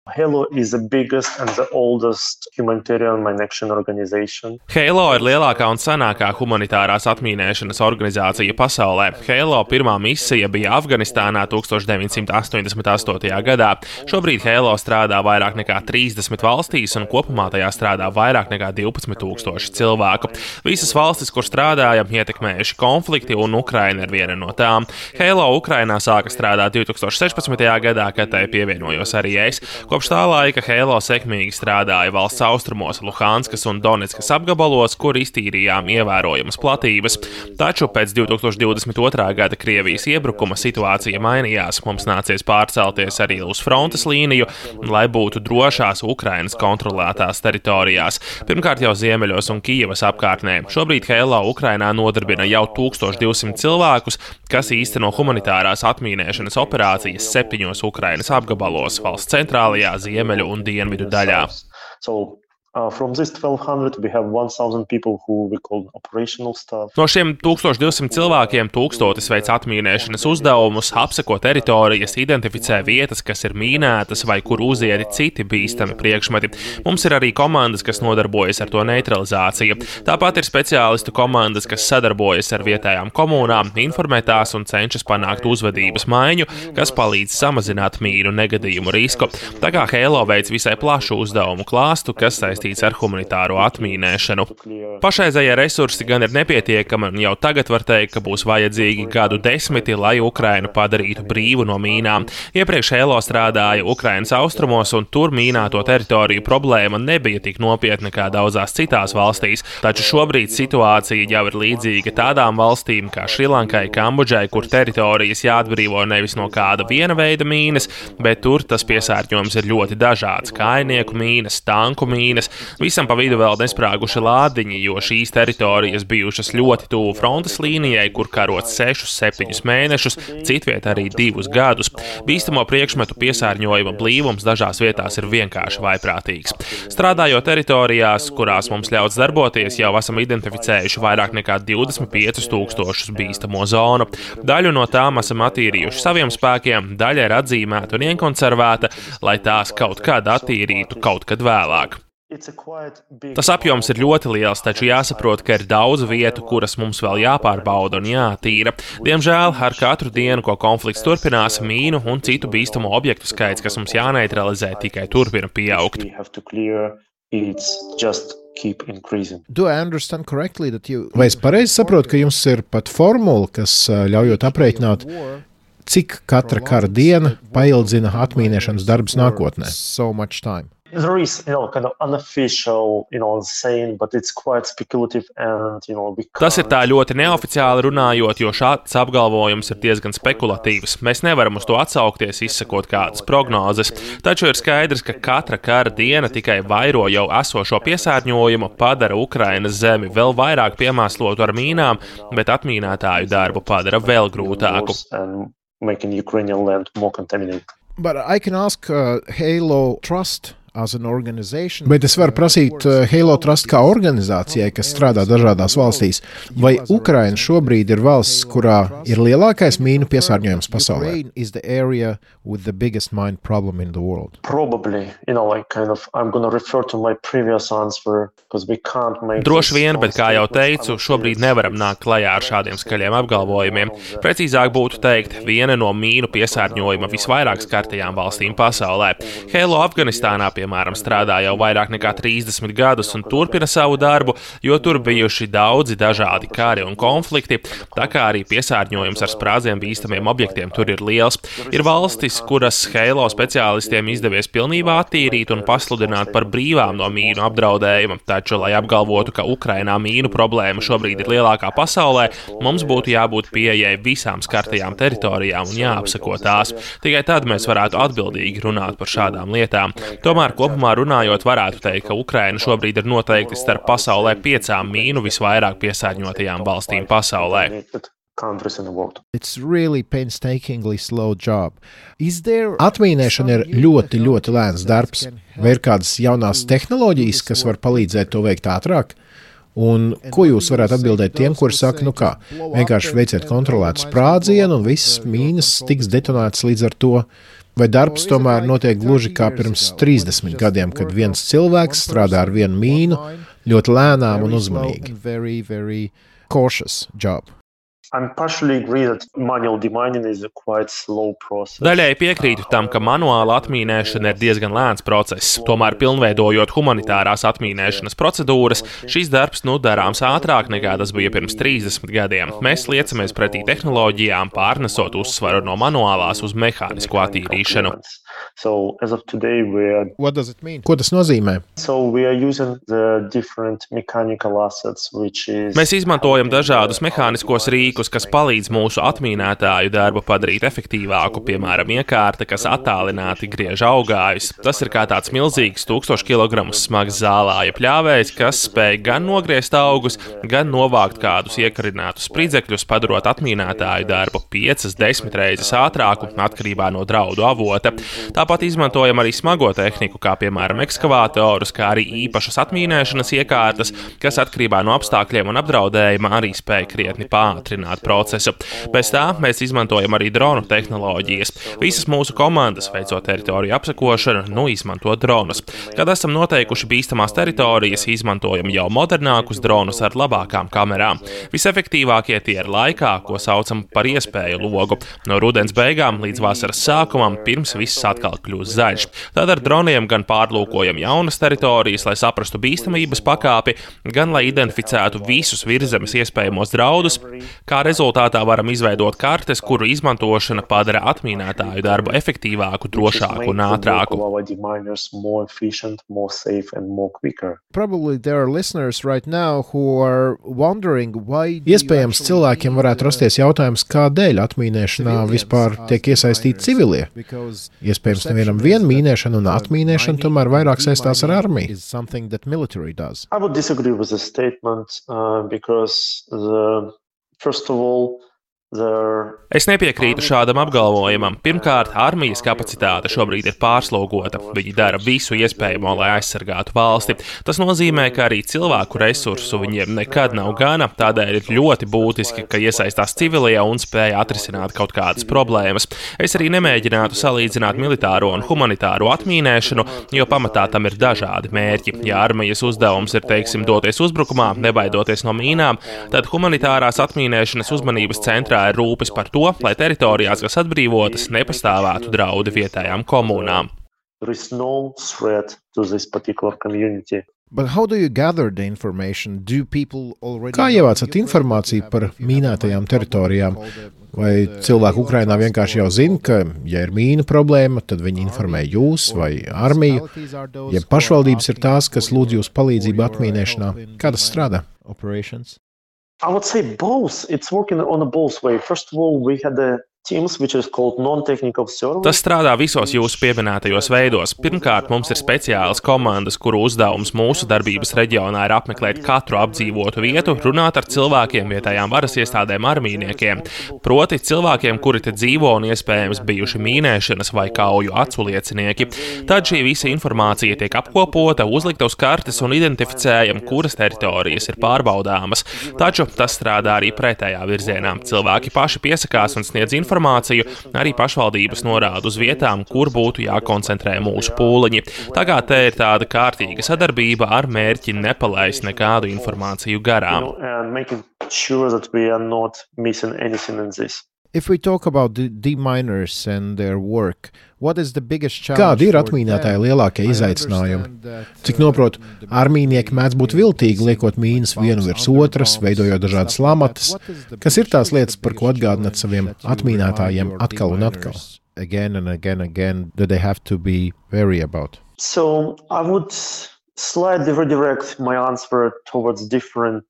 Halo is the biggest and the oldest humanitarian mine action organization. Halo ir lielākā un senākā humanitārās atmīnēšanas organizācija pasaulē. Halo pirmā misija bija Afganistānā 1988. gadā. Šobrīd Halo strādā vairāk nekā 30 valstīs un kopumā tajā strādā vairāk nekā 12,000 cilvēku. Visas valstis, kur strādājam, ietekmējuši konflikti un Ukraina ir viena no tām. Halo Ukrainā sāka strādāt 2016. gadā, kad tai pievienojos arī es. Kopš tā laika Halo sekmīgi strādāja valsts austrumos, Luhanskas un Donetskas apgabalos, kur iztīrījām ievērojamas platības. Taču pēc 2022. gada Krievijas iebrukuma situācija mainījās. Mums nācies pārcelties arī uz frontes līniju, lai būtu drošās Ukrainas kontrolētās teritorijās. Pirmkārt jau Ziemeļos un Kijevas apkārtnē. Šobrīd Halo Ukrainā nodarbina jau 1200 cilvēkus, kas īsteno humanitārās atmīnēšanas operācijas 7 Ukrainas apgabalos, valsts centrālajā, ziemeļu un dienvidu daļā. From this 1200 we have 1000 people who we call operational staff. No šiem 1200 cilvēkiem 1000 veic atmīnēšanas uzdevumus, apseko teritorijas, identificē vietas, kas ir mīnētas vai kur uzieti citi bīstami priekšmeti. Mums ir arī komandas, kas nodarbojas ar to neutralizāciju. Tāpat ir speciālistu komandas, kas sadarbojas ar vietējām komunām, informē tās un cenšas panākt uzvedības maiņu, kas palīdz samazināt mīnu negadījumu risku. Tā kā Halo veic visai plašu uzdevumu klāstu, kas ar humanitāro atmīnēšanu. Pašreizējie resursi gan ir nepietiekami, un jau tagad var teikt, ka būs vajadzīgi gadu 10, lai Ukrainu padarītu brīvu no mīnām. Iepriekš Halo strādāja Ukrainas austrumos, un tur mīnāto teritoriju problēma nebija tik nopietna kā daudzās citās valstīs, taču šobrīd situācija jau ir līdzīga tādām valstīm kā Šrilankai, Kambodžai, kur teritorijas jāatbrīvo nevis no kāda viena veida mīnas, bet tur tas piesārņojums ir ļoti dažāds - kājnieku mīnas, tanku mīnas. Visam pa vidu vēl nesprāguši lādiņi, jo šīs teritorijas bijušas ļoti tuvu frontes līnijai, kur karots 6-7 mēnešus, citviet arī 2 gadus. Bīstamo priekšmetu piesārņojuma blīvums dažās vietās ir vienkārši vaiprātīgs. Strādājot teritorijās, kurās mums ļauts darboties, jau esam identificējuši vairāk nekā 25 000 bīstamo zonu. Daļu no tām esam attīrījuši saviem spēkiem, daļa ir atzīmēta un iekonservēta, lai tās kaut kad attīrītu kaut kad vēlāk. Tas apjoms ir ļoti liels, taču jāsaprot, ka ir daudz vietu, kuras mums vēl jāpārbauda un jātīra. Diemžēl ar katru dienu, ko konflikts turpinās, mīnu un citu bīstamo objektu skaits, kas mums jāneutralizē, tikai turpina pieaugt. Vai es pareizi saprotu, ka jums ir pat formula, kas ļaujot aprēķināt, cik katra kara diena paildzina atmīnēšanas darbus nākotnē? So much time. There is, kind of unofficial, saying, but it's quite speculative and, we can't... Tas ir tā ļoti neoficiāli runājot, jo šāds apgalvojums ir diezgan spekulatīvs. Mēs nevaram uz to atsaukties, izsakot kādas prognozes, taču ir skaidrs, ka katra kara diena tikai vairo jau esošo piesārņojumu, padara Ukrainas zemi vēl vairāk piemēslotu ar mīnām, bet atmīnētāju darbu padara vēl grūtāku. Making Ukrainian land more contaminated. But I can ask Halo Trust as an organization. Bet es varu prasīt Halo Trust kā organizācijai, kas strādā dažādās valstīs. Vai Ukraina šobrīd ir valsts, kurā ir lielākais mīnu piesārņojums pasaulē? Is the area with the biggest mine problem in the world? Probably, I'm going to refer to my previous answer because we can't make. Droši vien, bet kā jau teicu, šobrīd nevaram nākt klajā ar šādiem skaļiem apgalvojumiem. Precīzāk būtu teikt, viena no mīnu piesārņojuma visvairāk skartajām valstīm pasaulē. Halo Afganistānā, piemēram, strādā jau vairāk nekā 30 gadus un turpina savu darbu, jo tur bijuši daudzi dažādi kari un konflikti, tā kā arī piesārņojums ar sprādzienu bīstamiem objektiem tur ir liels. Ir valstis, kuras Halo speciālistiem izdevies pilnībā attīrīt un pasludināt par brīvām no mīnu apdraudējuma, taču, lai apgalvotu, ka Ukrainā mīnu problēma šobrīd ir lielākā pasaulē, mums būtu jābūt pieejai visām skartajām teritorijām un jāapseko tās. Tikai tad mēs varētu atbildīgi runāt par šādām lietām. Tomēr kopumā runājot, varētu teikt, ka Ukraina šobrīd ir noteikti starp pasaulē 5 mīnu visvairāk piesārņotajām valstīm pasaulē. It's really painstakingly slow job. Atmīnēšana ir ļoti, ļoti lēns darbs. Vai ir kādas jaunās tehnoloģijas, kas var palīdzēt to veikt ātrāk? Un ko jūs varētu atbildēt tiem, kuri saka, vienkārši veiciet kontrolētu sprādzienu un visas mīnas tiks detonētas līdz ar to? Vai darbs tomēr notiek gluži kā pirms 30 gadiem, kad viens cilvēks strādā ar vienu mīnu ļoti lēnām un uzmanīgi? Cautious job. Daļai piekrītu tam, ka manuāla atmīnēšana ir diezgan lēns process. Tomēr, pilnveidojot humanitārās atmīnēšanas procedūras, šis darbs darāms ātrāk nekā tas bija pirms 30 gadiem. Mēs liecamies pretī tehnoloģijām, pārnesot uzsvaru no manuālās uz mehānisko attīrīšanu. Ko tas nozīmē? Mēs izmantojam dažādus mehāniskos rīkus, kas palīdz mūsu atmīnētāju darbu padarīt efektīvāku, piemēram, iekārta, kas attālināti griež augājus. Tas ir kā tāds milzīgs 1000 kg smags zālāja pļāvējs, kas spēj gan nogriezt augus, gan novākt kādus iekarinātus spridzekļus, padarot atmīnētāju darbu 5-10 reizes ātrāku, atkarībā no draudu avota. Tāpat izmantojam arī smago tehniku, kā piemēram ekskavātorus, kā arī īpašas atmīnēšanas iekārtas, kas atkarībā no apstākļiem un apdraudējuma arī spēj krietni pātrināt procesu. Bez tā mēs izmantojam arī dronu tehnoloģijas. Visas mūsu komandas, veicot teritoriju apsekošanu, izmanto dronus. Kad esam noteikuši bīstamās teritorijas, izmantojam jau modernākus dronus ar labākām kamerām. Visefektīvākie tie ir laikā, ko saucam par iespēju logu. No rudens beigām līdz vasaras sākumam, pirms viss atkal kļūst zaļš. Tad ar droniem gan pārlūkojam jaunas teritorijas, lai saprastu bīstamības pakāpi, gan lai identificētu visus virzemes iespējamos draudus, kā rezultātā varam izveidot kartes, kuru izmantošana padara atmīnētāju darbu efektīvāku, drošāku un ātrāku. Iespējams, cilvēkiem varētu rasties jautājums, kādēļ atmīnēšanā vispār tiek iesaistīti civilie. Iespējams, nevienam viena mīnēšana un atmīnēšana tomēr vairāk saistās ar armiju. Es nepiekrītu šādam apgalvojumam. Pirmkārt, armijas kapacitāte šobrīd ir pārslogota. Viņi dara visu iespējamo, lai aizsargātu valsti. Tas nozīmē, ka arī cilvēku resursu viņiem nekad nav gana, tādēļ ir ļoti būtiski, ka iesaistās civilie un spēja atrisināt kaut kādas problēmas. Es arī nemēģinātu salīdzināt militāro un humanitāro atmīnēšanu, jo pamatā tam ir dažādi mērķi. Ja armijas uzdevums ir, teiksim, doties uzbrukumā, nebaidoties no mīnām, tad humanitārās atmīnēšanas uzmanības centrā ir rūpes par to, lai teritorijās, kas atbrīvotas, nepastāvētu draudi vietējām komunām. Kā ievācat informāciju par mīnētajām teritorijām? Vai cilvēki Ukrainā vienkārši jau zina, ka, ja ir mīnu problēma, tad viņi informē jūs vai armiju? Ja pašvaldības ir tās, kas lūdz jūs palīdzību atmīnēšanā, kā tas strādā? I would say both. It's working on a both way. First of all, we had a teams, which is called non-technical service. Tas strādā visos jūsu pieminētajos veidos. Pirmkārt, mums ir speciālas komandas, kuru uzdevums mūsu darbības reģionā ir apmeklēt katru apdzīvotu vietu, runāt ar cilvēkiem, vietējām varas iestādēm, armijniekiem. Proti cilvēkiem, kuri te dzīvo un iespējams bijuši mīnēšanas vai kauju aculiecinieki. Tad šī visa informācija tiek apkopota, uzlikta uz kartes un identificējam, kuras teritorijas ir pārbaudāmas. Taču tas strādā arī pretējā virzienā. Cilvēki paši piesakās un sniedz informāciju, arī pašvaldības norāda uz vietām, kur būtu jākoncentrē mūsu pūliņi. Tā kā te ir tāda kārtīga sadarbība ar mērķi nepalaist nekādu informāciju garām. If we talk about the deminers and their work, what is the biggest challenge? Kādi ir atmīnētāji lielākie izaicinājumi? Cik noprotu, armijnieki mēdz būt viltīgi, liekot mīnas vienu virs otras, veidojot dažādas lamatas. Kas ir tās lietas, par ko atgādināt saviem atmīnētājiem atkal un atkal? Again and again and again, that they have to be wary about. So I would slightly redirect my answer towards different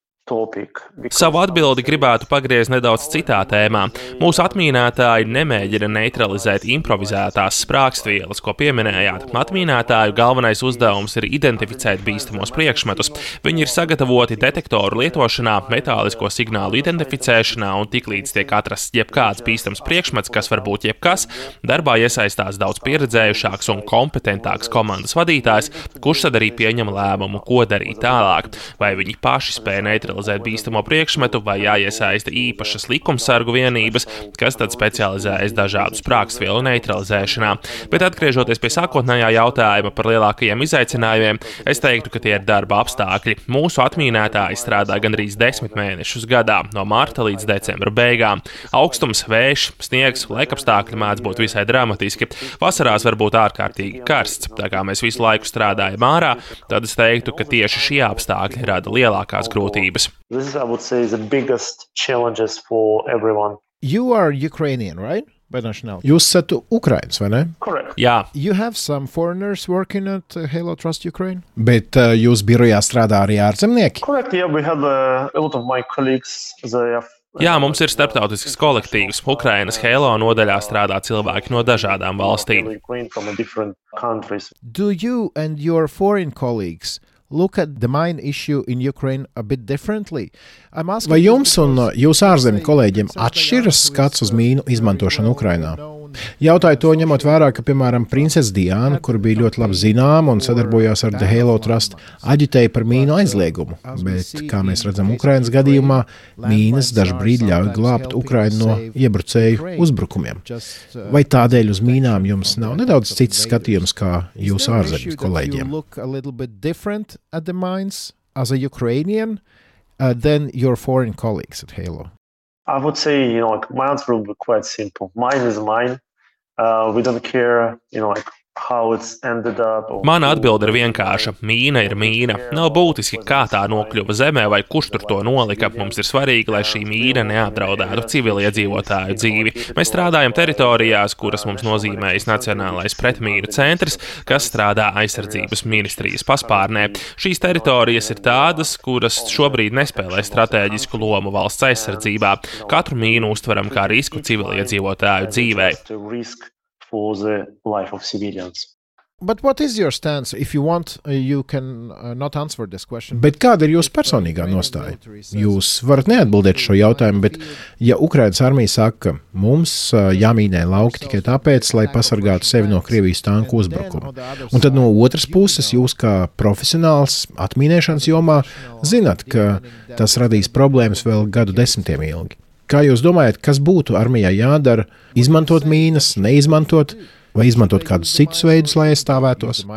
Savu atbildi gribētu pagriezt nedaudz citā tēmā. Mūsu atmīnētāji nemēģina neutralizēt improvizētās sprāgstvielas, ko pieminējāt. Atmīnētāju galvenais uzdevums ir identificēt bīstamos priekšmetus. Viņi ir sagatavoti detektoru lietošanā, metālisko signālu identificēšanā un tiklīdz tiek atrasts jebkāds bīstams priekšmets, kas var būt jebkas, darbā iesaistās daudz pieredzējušāks un kompetentāks komandas vadītājs, kurš tad arī pieņem lēmumu, ko darīt tālāk. Vai viņi paši spēj neutralizēt neutralizēt bīstamo priekšmetu vai jāiesaista īpašas likumsargu vienības, kas tad specializējas dažādu sprākstvielu neutralizēšanā. Bet atgriežoties pie sākotnējā jautājuma par lielākajiem izaicinājumiem, es teiktu, ka tie ir darba apstākļi. Mūsu atmīnētāji strādā gandrīz 10 mēnešus gadā, no marta līdz decembra beigām. Augstums, vējš, sniegs, laikapstākļi mēdz būt visai dramatiski. Vasarās var būt ārkārtīgi karsts. Tā kā mēs visu laiku strādājam ārā, tad es teiktu, ka tieši šie apstākļi rada lielākās grūtības. This is, I would say, the biggest challenges for everyone. You are Ukrainian, right? Jūs esat Ukraiņš, vai ne? Correct. Jā. You have some foreigners working at Halo Trust Ukraine? Bet jūs birojā strādā arī ārzemnieki? Correct, yeah, we have a lot of my colleagues, they have... Jā, mums ir starptautisks kolektīvs. Ukrainas Halo nodaļā strādā cilvēki no dažādām valstīm. Do you and your foreign colleagues look at the mine issue in Ukraine a bit differently? Vai jums un jūsu ārzemju kolēģiem atšķiras skats uz mīnu izmantošanu Ukrainā? Jautāju to ņemot vērā, ka, piemēram, princese Diana, kur bija ļoti labi zināma un sadarbojās ar The Halo Trust, aģitēja par mīnu aizliegumu. Bet, kā mēs redzam Ukrainas gadījumā, mīnas dažbrīd ļauj glābt Ukrainu no iebrucēju uzbrukumiem. Vai tādēļ uz mīnām jums nav nedaudz cits skatījums kā jūsu ārzemju kolēģiem? As a Ukrainian than your foreign colleagues at Halo? I would say, my answer would be quite simple. Mine is mine. We don't care, how it's ended up. Mana atbilde ir vienkārša. Mīna ir mīna. Nav būtiski, kā tā nokļuva zemē vai kurš tur to nolika. Mums ir svarīgi, lai šī mīna neapdraudētu civiliedzīvotāju dzīvi. Mēs strādājam teritorijās, kuras mums nozīmējas Nacionālais pretmīnu centrs, kas strādā aizsardzības ministrijas paspārnē. Šīs teritorijas ir tādas, kuras šobrīd nespēlē stratēģisku lomu valsts aizsardzībā. Katru mīnu uztveram kā risku civiliedzīvotāju dzīvei. For the life of civilians. But what is your stance? If you want, you can not answer this question. Bet kāda ir jūsu personīgā nostāja? Jūs varat neatbildēt šo jautājumu, bet ja Ukrainas armija saka, ka mums jāmīnē lauki tikai tāpēc, lai pasargātu sevi no Krievijas tanku uzbrukuma, un tad no otras puses jūs kā profesionāls atmīnēšanas jomā zinat, ka tas radīs problēmas vēl gadu desmitiem ilgi. Kā jūs domājat, kas būtu armijai jādara? Izmantot mīnas, neizmantot, vai izmantot kādus citus veidus, lai aizstāvētos?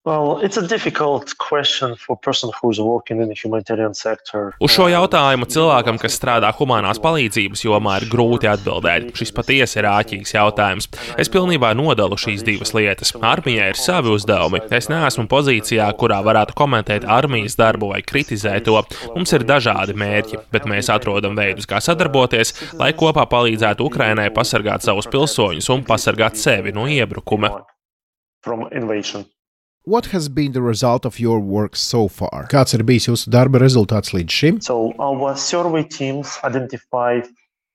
Well, it's a difficult question for a person who's working in the humanitarian sector. Uz šo jautājumu cilvēkam, kas strādā humanās palīdzības jomā, ir grūti atbildēt. Šis patiesi ir āķīgs jautājums. Es pilnībā nodalu šīs divas lietas. Armijai ir savi uzdevumi. Es neesmu pozīcijā, kurā varētu komentēt armijas darbu vai kritizēt to. Mums ir dažādi mērķi, bet mēs atrodam veidus, kā sadarboties, lai kopā palīdzētu Ukrainai pasargāt savus pilsoņus un pasargāt sevi no iebrukuma. From invasion. What has been the result of your work so far? Kāds ir bijis jūsu darba rezultāts līdz šim? So our survey teams identified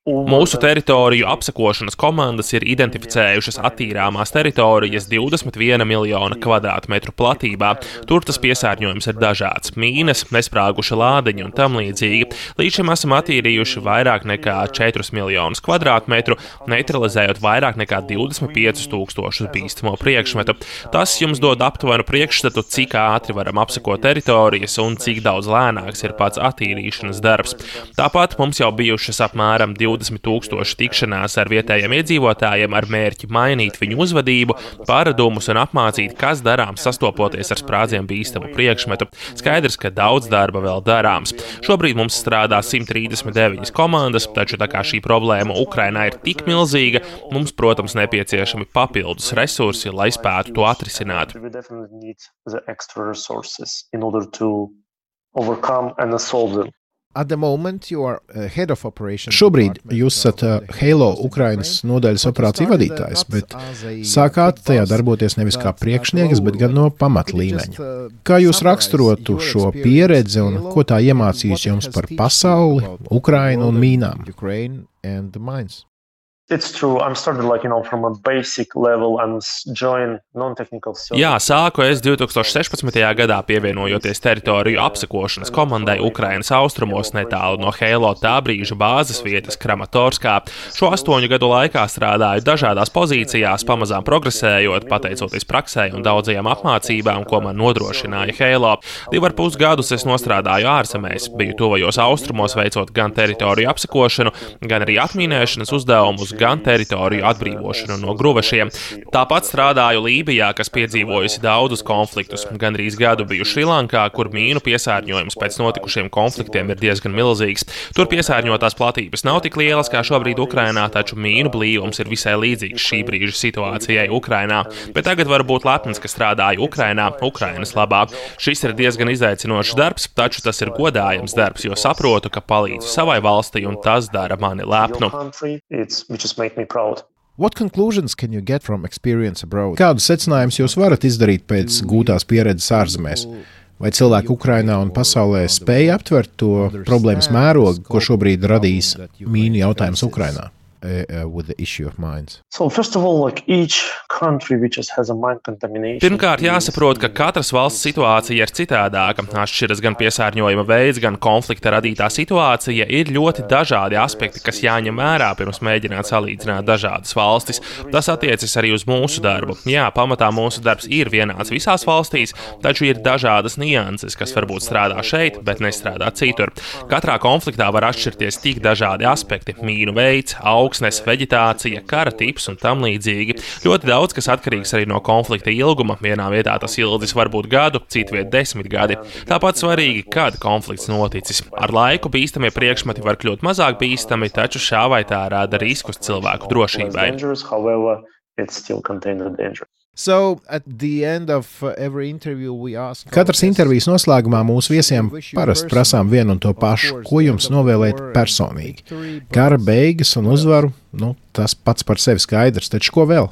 Mūsu teritoriju apsekošanas komandas ir identificējušas attīrāmās teritorijas 21 miljona kvadrātmetru platībā. Tur tas piesārņojums ir dažāds - mīnas, nesprāguši lādiņi un tam līdzīgi. Līdz šim esam attīrījuši vairāk nekā 4 miljonus kvadrātmetru, neutralizējot vairāk nekā 25 000 bīstamo priekšmetu. Tas jums dod aptuvenu priekšstatu, cik ātri varam apsekot teritorijas un cik daudz lēnāks ir pats attīrīšanas darbs. Tāpat mums jau bijušas apmēram 20 000 tikšanās ar vietējiem iedzīvotājiem ar mērķi mainīt viņu uzvedību, paradumus un apmācīt, kas darāms sastopoties ar sprādzienu bīstamu priekšmetu. Skaidrs, ka daudz darba vēl darāms. Šobrīd mums strādā 139 komandas, taču tā kā šī problēma Ukrainā ir tik milzīga, mums, protams, nepieciešami papildus resursi, lai spētu to atrisināt. Šobrīd jūs esat Halo Ukrainas nodaļas operāciju vadītājs, bet sākāt tajā darboties nevis kā priekšnieks, bet gan no pamatlīmeņa. Kā jūs raksturotu šo pieredzi un ko tā iemācījis jums par pasauli, Ukrainu un mīnām? It's true. I'm started from a basic level and join non-technical service. Jā, sāku es 2016. gadā pievienojoties teritoriju apsekošanas komandai Ukrainas austrumos netālu no Heilo tā brīža bāzes vietas Kramatorskā. Šo 8 gadu laikā strādāju dažādās pozīcijās, pamazām progresējot, pateicoties praksē un daudzajām apmācībām, ko man nodrošināja Heilo. 2,5 gadus es nostrādāju ārzemēs, biju tuvajos austrumos veicot gan teritoriju apsekošanu, gan arī atmīnēšanas uzdevumus, gan teritoriju atbrīvošanu no gruvešiem. Tāpat strādāju Lībijā, kas piedzīvojusi daudzus konfliktus. Gandrīz gadu biju Šrilankā, kur mīnu piesārņojums pēc notikušiem konfliktiem ir diezgan milzīgs. Tur piesārņotās platības nav tik lielas kā šobrīd Ukrainā, taču mīnu blīvums ir visai līdzīgs šī brīža situācijai Ukrainā. Bet tagad var būt lepns, ka strādāju Ukrainā, Ukrainas labā. Šis ir diezgan izaicinošs darbs, taču tas ir godājams darbs, jo saprotu, ka palīdzu savai valstī un tas dara mani lepnu. What conclusions can you get from experience abroad? Kādus secinājumus jūs varat izdarīt pēc gūtās pieredzes ārzemēs? Vai cilvēki Ukrainā un pasaulē spēja aptvert to problēmas mērogu, ko šobrīd radīs mīnu jautājums Ukrainā? With the issue of mines. So first of all, each country which has a mine contamination. Pirmkārt, jāsaprot, ka katras valsts situācija ir citādāka. Atšķiras gan piesārņojuma veids, gan konflikta radītā situācija. Ir ļoti dažādi aspekti, kas jāņem vērā, pirms mēģināt salīdzināt dažādas valstis. Tas attiecas arī uz mūsu darbu. Jā, pamatā mūsu darbs ir vienāds visās valstīs, taču ir dažādas nianses, kas varbūt strādā šeit, bet nestrādā citur. Katrā konfliktā var atšķirties tik dažādi aspekti - mīnu veids, augsnes, veģetācija, kara tips un tam līdzīgi. Ļoti daudz, kas atkarīgs arī no konflikta ilguma. Vienā vietā tas ilgs var būt gadu, citviet 10 gadi. Tāpat svarīgi, kad konflikts noticis. Ar laiku bīstamie priekšmeti var kļūt mazāk bīstami, taču šā vai tā rada riskus cilvēku drošībai. So, at the end of every interview we ask... Katras intervijas noslēgumā mūsu viesiem parasti prasām vienu un to pašu. Ko jums novēlēt personīgi? Kara beigas un uzvaru, tas pats par sevi skaidrs, taču ko vēl?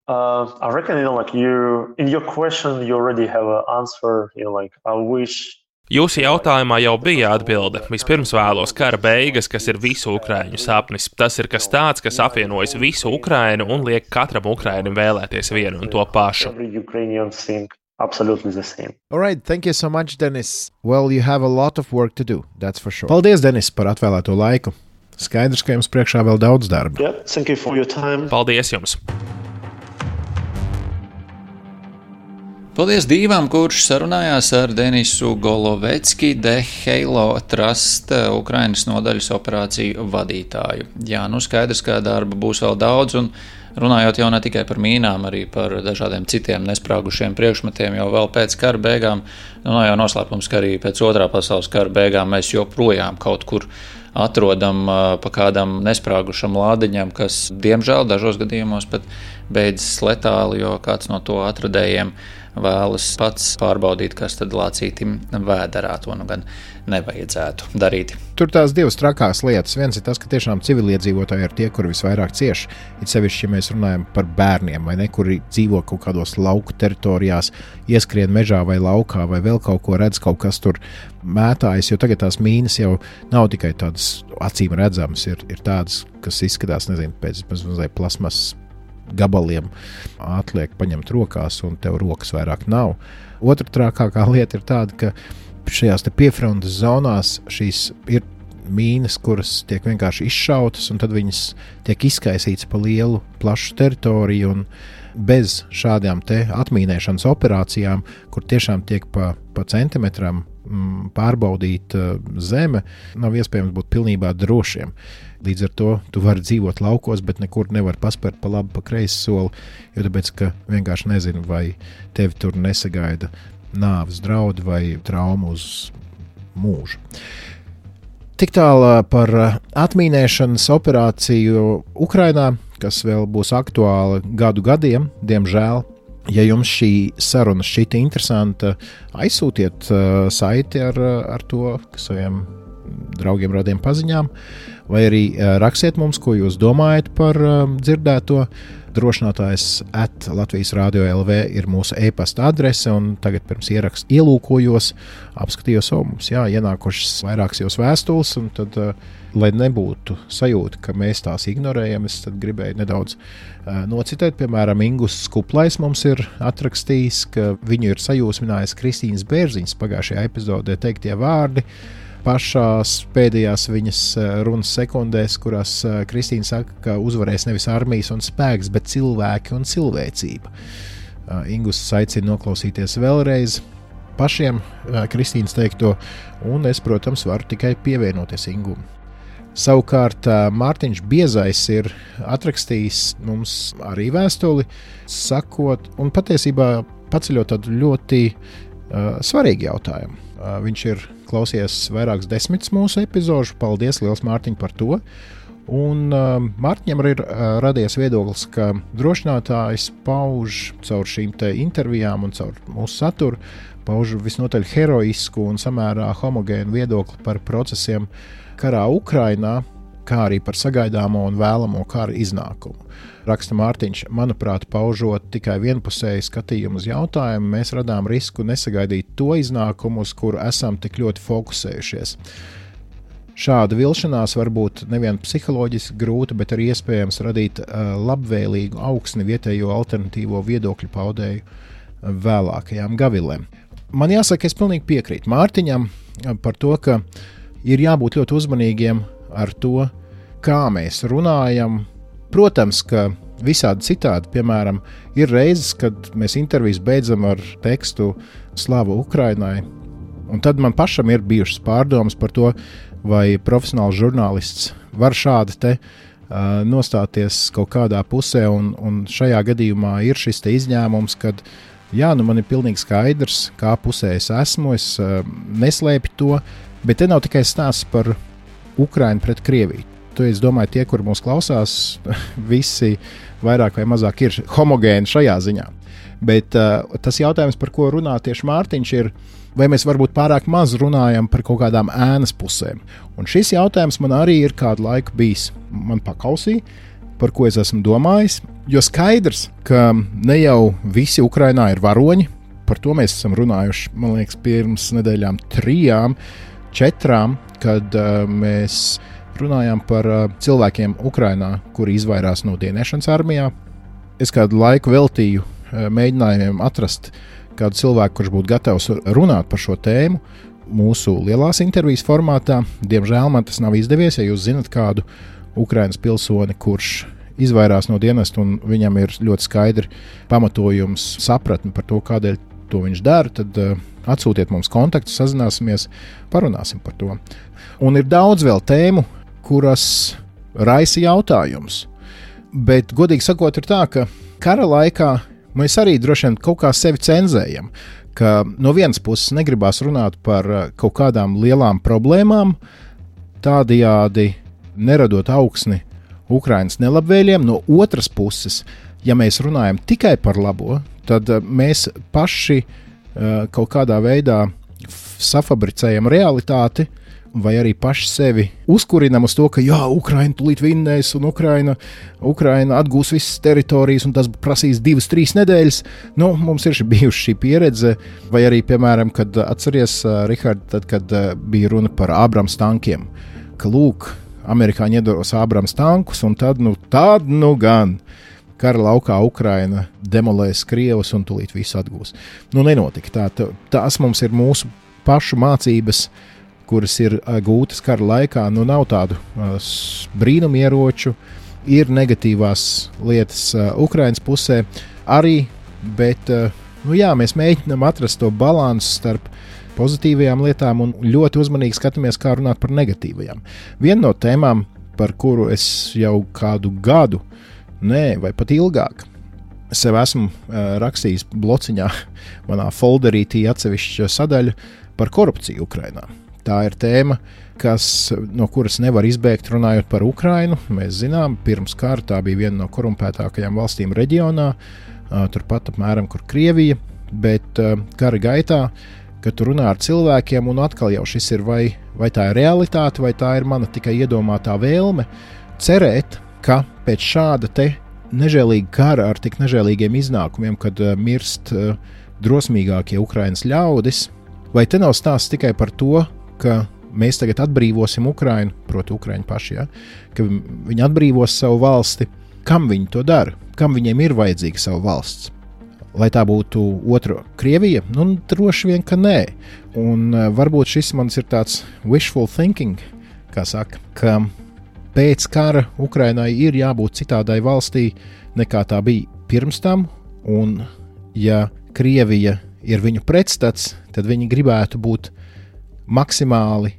I reckon, in your question, you already have an answer, I wish... Jūsu jautājumā jau bija atbilde. Vispirms vēlos kara beigas, kas ir visu ukraiņu sapnis. Tas ir kas tāds, kas apvienojas visu Ukrainu un liek katram ukrainim vēlēties vienu un to pašu. Absolutely the same. All right, thank you so much, Denis. Well, you have a lot of work to do, that's for sure. Paldies, Denis, par atvēlēto laiku. Skaidrs, ka jums priekšā vēl daudz darba. Yeah, thank you for your time. Paldies jums. Paldies Dīvam, kurš sarunājās ar Denisu Golovecki, The Heilo Trust Ukrainas nodaļas operāciju vadītāju. Jā, skaidrs, ka darba būs vēl daudz, un runājot jau ne tikai par mīnām, arī par dažādiem citiem nesprāgušiem priekšmetiem, jau vēl pēc kara beigām, nav jau noslēpums, ka arī pēc otrā pasaules kara beigām mēs joprojām kaut kur atrodam pa kādam nesprāgušam lādiņam, kas, diemžēl, dažos gadījumos pat beidzas letāli, jo kāds no to atradējiem vēlas pats pārbaudīt, kas tad lācītim vēderā, to gan nevajadzētu darīt. Tur tās divas trakās lietas. Viens ir tas, ka tiešām civiliedzīvotāji ir tie, kuri visvairāk cieš. It sevišķi, ja mēs runājam par bērniem, vai ne, kuri dzīvo kaut kādos lauku teritorijās, ieskrien mežā vai laukā, vai vēl kaut ko redz, kaut kas tur mētājas, jo tagad tās mīnas jau nav tikai tādas acīm redzamas, ir tādas, kas izskatās, pēc mazliet plasmas gabaliem atliek paņemt rokās, un tev rokas vairāk nav. Otra trakākā lieta ir tāda, ka šajās te piefrontes zonās šīs ir mīnas, kuras tiek vienkārši izšautas, un tad viņas tiek izkaisītas pa lielu, plašu teritoriju, un bez šādām te atmīnēšanas operācijām, kur tiešām tiek pa centimetram pārbaudīta zeme, nav iespējams būt pilnībā drošiem. Līdz ar to tu vari dzīvot laukos, bet nekur nevar paspērt pa labi, pa kreisi soli, jo tāpēc, ka vienkārši nezinu, vai tevi tur nesagaida nāves draudi vai trauma uz mūžu. Tik tālā par atmīnēšanas operāciju Ukrainā, kas vēl būs aktuāla gadiem, diemžēl. Ja jums šī saruna šķita interesanta, aizsūtiet saiti ar to saviem draugiem, radiem paziņām, vai arī rakstiet mums, ko jūs domājat par dzirdēto. Drošinātājs @Latvijas Radio LV ir mūsu e-pasta adrese, un tagad pirms ieraksta ielūkojos, apskatījos, mums ienākušas vairākas jūs vēstules, un tad, lai nebūtu sajūta, ka mēs tās ignorējam, es tad gribēju nedaudz nocitēt. Piemēram, Ingus Kuplais mums ir atrakstījis, ka viņu ir sajūsminājis Kristīnas Bērziņas pagājušajā epizodē teiktie vārdi, pašās pēdējās viņas runas sekundēs, kurās Kristīna saka, ka uzvarēs nevis armijas un spēks, bet cilvēki un cilvēcība. Ingus aicina noklausīties vēlreiz pašiem Kristīnas teikto, un es, protams, varu tikai pievienoties Ingum. Savukārt Mārtiņš Biezais ir atrakstījis mums arī vēstuli, sakot, un patiesībā paceļot tādu ļoti svarīgu jautājumu. Viņš ir klausījies vairākas desmitas mūsu epizožu. Paldies, liels Mārtiņ, par to. Un Mārtiņam arī ir radies viedoklis, ka drošinātājs pauž caur šīm te intervijām un caur mūsu saturu, pauž visnotaļ heroisku un samērā homogēnu viedokli par procesiem karā Ukrainā, kā arī par sagaidāmo un vēlamo kara iznākumu. Raksta Mārtiņš, manuprāt, paužot tikai vienpusēju skatījumu uz jautājumu, mēs radām risku nesagaidīt to iznākumu, uz kuru esam tik ļoti fokusējušies. Šāda vilšanās var būt nevien psiholoģiski grūta, bet arī iespējams radīt labvēlīgu augsni vietējo alternatīvo viedokļu paudēju vēlākajām gavilēm. Man jāsaka, es pilnīgi piekrītu Mārtiņam par to, ka ir jābūt ļoti uzmanīgiem ar to, kā mēs runājam. Protams, ka visādi citādi, piemēram, ir reizes, kad mēs intervijas beidzam ar tekstu Slava Ukrainai, un tad man pašam ir bijušas pārdomas par to, vai profesionāls žurnālists var šādi te nostāties kaut kādā pusē, un šajā gadījumā ir šis te izņēmums, kad man ir pilnīgi skaidrs, kā pusē es esmu, es neslēpju to, bet te nav tikai stāsts par Ukrainu pret Krieviju. Es domāju, tie, kuri mūs klausās, visi vairāk vai mazāk ir homogēni šajā ziņā. Bet tas jautājums, par ko runā tieši Mārtiņš, ir, vai mēs varbūt pārāk maz runājam par kaut kādām ēnas pusēm. Un šis jautājums man arī ir kādu laiku bijis. Man pakausīja, par ko es esmu domājis, jo skaidrs, ka ne jau visi Ukrainā ir varoņi, par to mēs esam runājuši, man liekas, pirms nedēļām 3, 4, kad mēs runājām par cilvēkiem Ukrainā, kuri izvairās no dienēšanas armijā. Es kādu laiku veltīju mēģinājumiem atrast kādu cilvēku, kurš būtu gatavs runāt par šo tēmu mūsu lielās intervijas formātā. Diemžēl man tas nav izdevies. Ja jūs zinat kādu Ukrainas pilsoni, kurš izvairās no dienesta un viņam ir ļoti skaidri pamatojums, sapratni par to, kādēļ to viņš dara, tad atsūtiet mums kontaktus, sazināsimies, parunāsim par to. Un ir daudz vēl tēmu, kuras raisa jautājums. Bet, godīgi sakot, ir tā, ka kara laikā mēs arī droši vien kaut kā sevi cenzējam, ka no vienas puses negribās runāt par kaut kādām lielām problēmām, tādējādi neradot augsni Ukrainas nelabvēliem. No otras puses, ja mēs runājam tikai par labo, tad mēs paši kaut kādā veidā safabricējam realitāti, vai arī paši sevi uzkurinam uz to, ka Ukraina tūlīt vinnēs un Ukraina atgūs visas teritorijas un tas prasīs 2-3 nedēļas. Mums ir bijuši šī pieredze, vai arī, piemēram, kad atceries, Rihard, tad, kad bija runa par Abrams tankiem, ka lūk, amerikāņi iedos Abrams tankus un tad gan kara laukā Ukraina demolēs Krievus un tūlīt visu atgūs. Nenotika tā. Tas mums ir mūsu pašu mācības, kuras ir gūtas kara laikā. Nav tādu brīnumieroču, ir negatīvās lietas Ukrainas pusē arī, bet mēs mēģinām atrast to balansu starp pozitīvajām lietām un ļoti uzmanīgi skatāmies, kā runāt par negatīvajām. Viena no tēmām, par kuru es jau kādu gadu, vai pat ilgāk, sev esmu rakstījis blociņā, manā folderītī atsevišķa sadaļa par korupciju Ukrainā. Tā ir tēma, no kuras nevar izbēgt runājot par Ukrainu. Mēs zinām, pirms kara tā bija viena no korumpētākajām valstīm reģionā, turpat apmēram, kur Krievija, bet kara gaitā kad tu runā ar cilvēkiem, un atkal jau šis ir vai tā ir realitāte, vai tā ir mana tikai iedomātā vēlme cerēt, ka pēc šāda te nežēlīga kara ar tik nežēlīgiem iznākumiem, kad mirst drosmīgākie Ukrainas ļaudis, vai te nav stāsts tikai par to, ka mēs tagad atbrīvosim Ukrainu, proti Ukraiņu paši, ja? Ka viņi atbrīvos savu valsti, kam viņi to dara, kam viņiem ir vajadzīga savu valsts. Lai tā būtu otra Krievija? Nu, droši vien, ka nē. Un varbūt šis mans ir tāds wishful thinking, kā saka, ka pēc kara Ukrainai ir jābūt citādai valstī, nekā tā bija pirms tam, un ja Krievija ir viņu pretstats, tad viņi gribētu būt maksimāli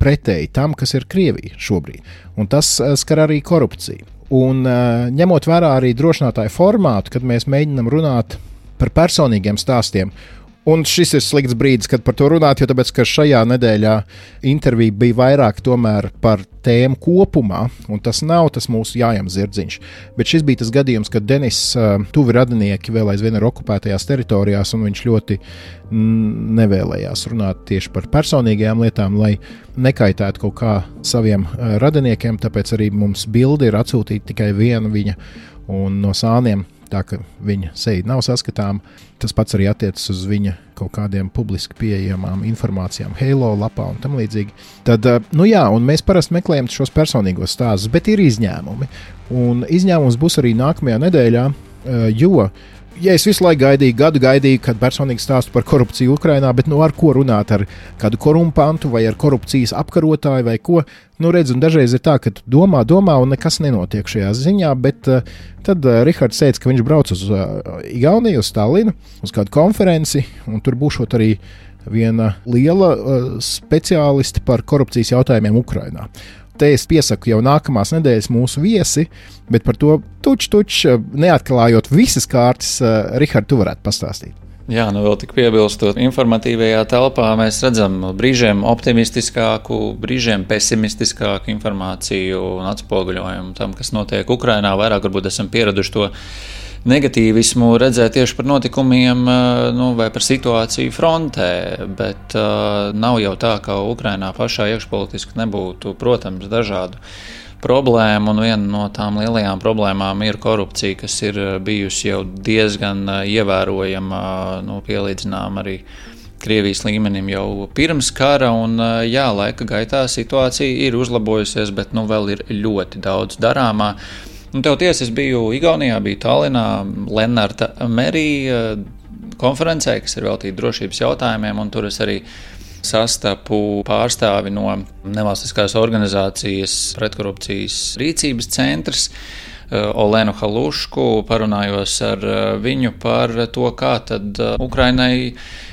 pretēji tam, kas ir Krievija šobrīd. Un tas skar arī korupciju. Un ņemot vērā arī drošinātāju formātu, kad mēs mēģinam runāt par personīgiem stāstiem. Un šis ir slikts brīdis, kad par to runāt, jo tāpēc, ka šajā nedēļā intervija bija vairāk tomēr par tēmu kopumā, un tas nav tas mūsu jājam zirdziņš. Bet šis bija tas gadījums, kad Denis tuvi radinieki vēl aizvien ir okupētajās teritorijās, un viņš ļoti nevēlējās runāt tieši par personīgajām lietām, lai nekaitētu kaut kā saviem radiniekiem, tāpēc arī mums bildi ir atsūtīta tikai viena viņa, un no sāniem, tā ka viņa seja nav saskatāma. Tas pats arī attiecas uz viņa kaut kādiem publiski pieejamām informācijām Halo lapā un tam līdzīgi. Tad, nu jā, un mēs parasti meklējam šos personīgos stāstus, bet ir izņēmumi. Un izņēmums būs arī nākamajā nedēļā, jo, ja es visu laiku gaidīju, kad personīgi stāstu par korupciju Ukrainā, bet nu ar ko runāt, ar kādu korumpantu vai ar korupcijas apkarotāju vai ko, nu redz, un dažreiz ir tā, ka domā un nekas nenotiek šajā ziņā, bet tad Rihards teica, ka viņš brauc uz Igauniju, uz Tallinu, uz kādu konferenci, un tur būšot arī viena liela speciāliste par korupcijas jautājumiem Ukrainā. Te es piesaku jau nākamās nedēļas mūsu viesi, bet par to tuč, neatklājot visas kārtas, Rihard, tu varētu pastāstīt. Jā, nu vēl tik piebilstot, informatīvajā telpā mēs redzam brīžiem optimistiskāku, brīžiem pesimistiskāku informāciju un atspoguļojumu tam, kas notiek Ukrainā. Vairāk varbūt esam pieraduši to negatīvismu redzēt tieši par notikumiem vai par situāciju frontē, bet nav jau tā, ka Ukrainā pašā iekšpolitiski nebūtu, protams, dažādu problēmu, un viena no tām lielajām problēmām ir korupcija, kas ir bijusi jau diezgan ievērojama, pielīdzinām arī Krievijas līmenim jau pirms kara, un jā, laika gaitā situācija ir uzlabojusies, bet vēl ir ļoti daudz darāmā. Tev tiesa, es biju Igaunijā, biju Tallinā, Lennarta Merija konferencē, kas ir veltīta drošības jautājumiem, un tur es arī sastapu pārstāvi no nevalstiskās organizācijas pretkorupcijas rīcības centrs, Olenu Halušku, parunājos ar viņu par to, kā tad Ukrainai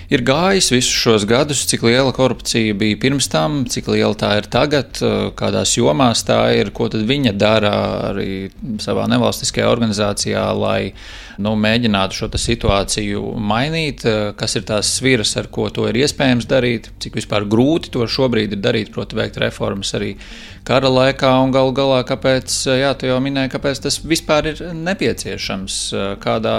ir gājis visus šos gadus, cik liela korupcija bija pirms tam, cik liela tā ir tagad, kādās jomās tā ir, ko tad viņa dara arī savā nevalstiskajā organizācijā, lai mēģinātu šo situāciju mainīt, kas ir tās sviras, ar ko to ir iespējams darīt, cik vispār grūti to šobrīd ir darīt, proti veikt reformas arī kara laikā, un galu galā, kāpēc, jā, tu jau minēji, kāpēc tas vispār ir nepieciešams, kādā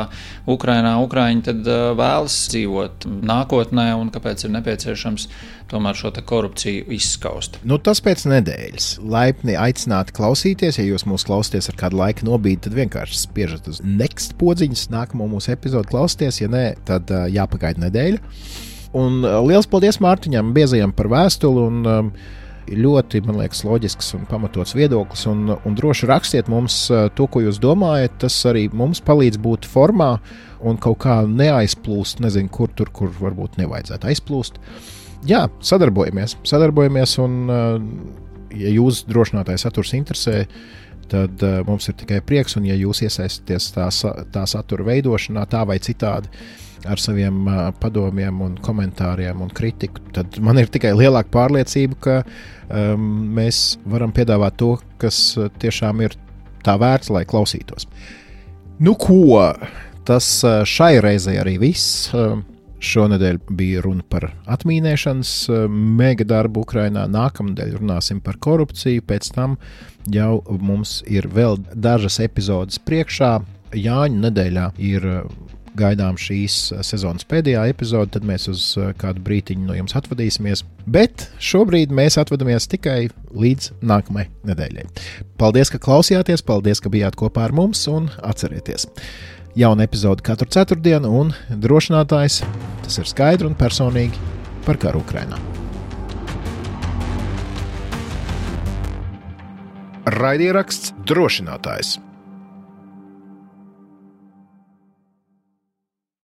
Ukrainā Ukraiņi tad vēlas dzīvot nākotnē, un kāpēc ir nepieciešams tomēr šo korupciju izskaust. Tas pēc nedēļas. Laipni aicināti klausīties, ja jūs mūs klausāties ar kādu laika nobīdi, tad vienkārši spiežat uz next podziņas, nākamo mūsu epizodu klausieties, ja nē, tad jāpagaida nedēļa. Un liels paldies Mārtiņam Biezajam par vēstuli, un ļoti, man liekas, loģisks un pamatots viedoklis, un droši rakstiet mums to, ko jūs domājat, tas arī mums palīdz būt formā un kaut kā neaizplūst, nezinu, kur varbūt nevajadzētu aizplūst. Jā, sadarbojamies, un ja jūs drošinātāja saturs interesē, tad mums ir tikai prieks, un ja jūs iesaistāties tā satura veidošanā, tā vai citādi, ar saviem padomiem un komentāriem un kritiku, tad man ir tikai lielāka pārliecība, ka mēs varam piedāvāt to, kas tiešām ir tā vērts, lai klausītos. Tas šai reizei arī viss. Šonedēļ bija runa par atmīnēšanas mega darbu Ukrainā, nākamnedēļ runāsim par korupciju, pēc tam jau mums ir vēl dažas epizodes priekšā. Jāņu nedēļā ir gaidām šīs sezonas pēdējā epizode, tad mēs uz kādu brītiņu no jums atvadīsimies. Bet šobrīd mēs atvadamies tikai līdz nākamajai nedēļai. Paldies, ka klausījāties, paldies, ka bijāt kopā ar mums un atcerieties. Jauna epizode katru ceturtdienu un drošinātājs, tas ir skaidri un personīgi par karu Ukrainā. Raidieraksts Drošinātājs.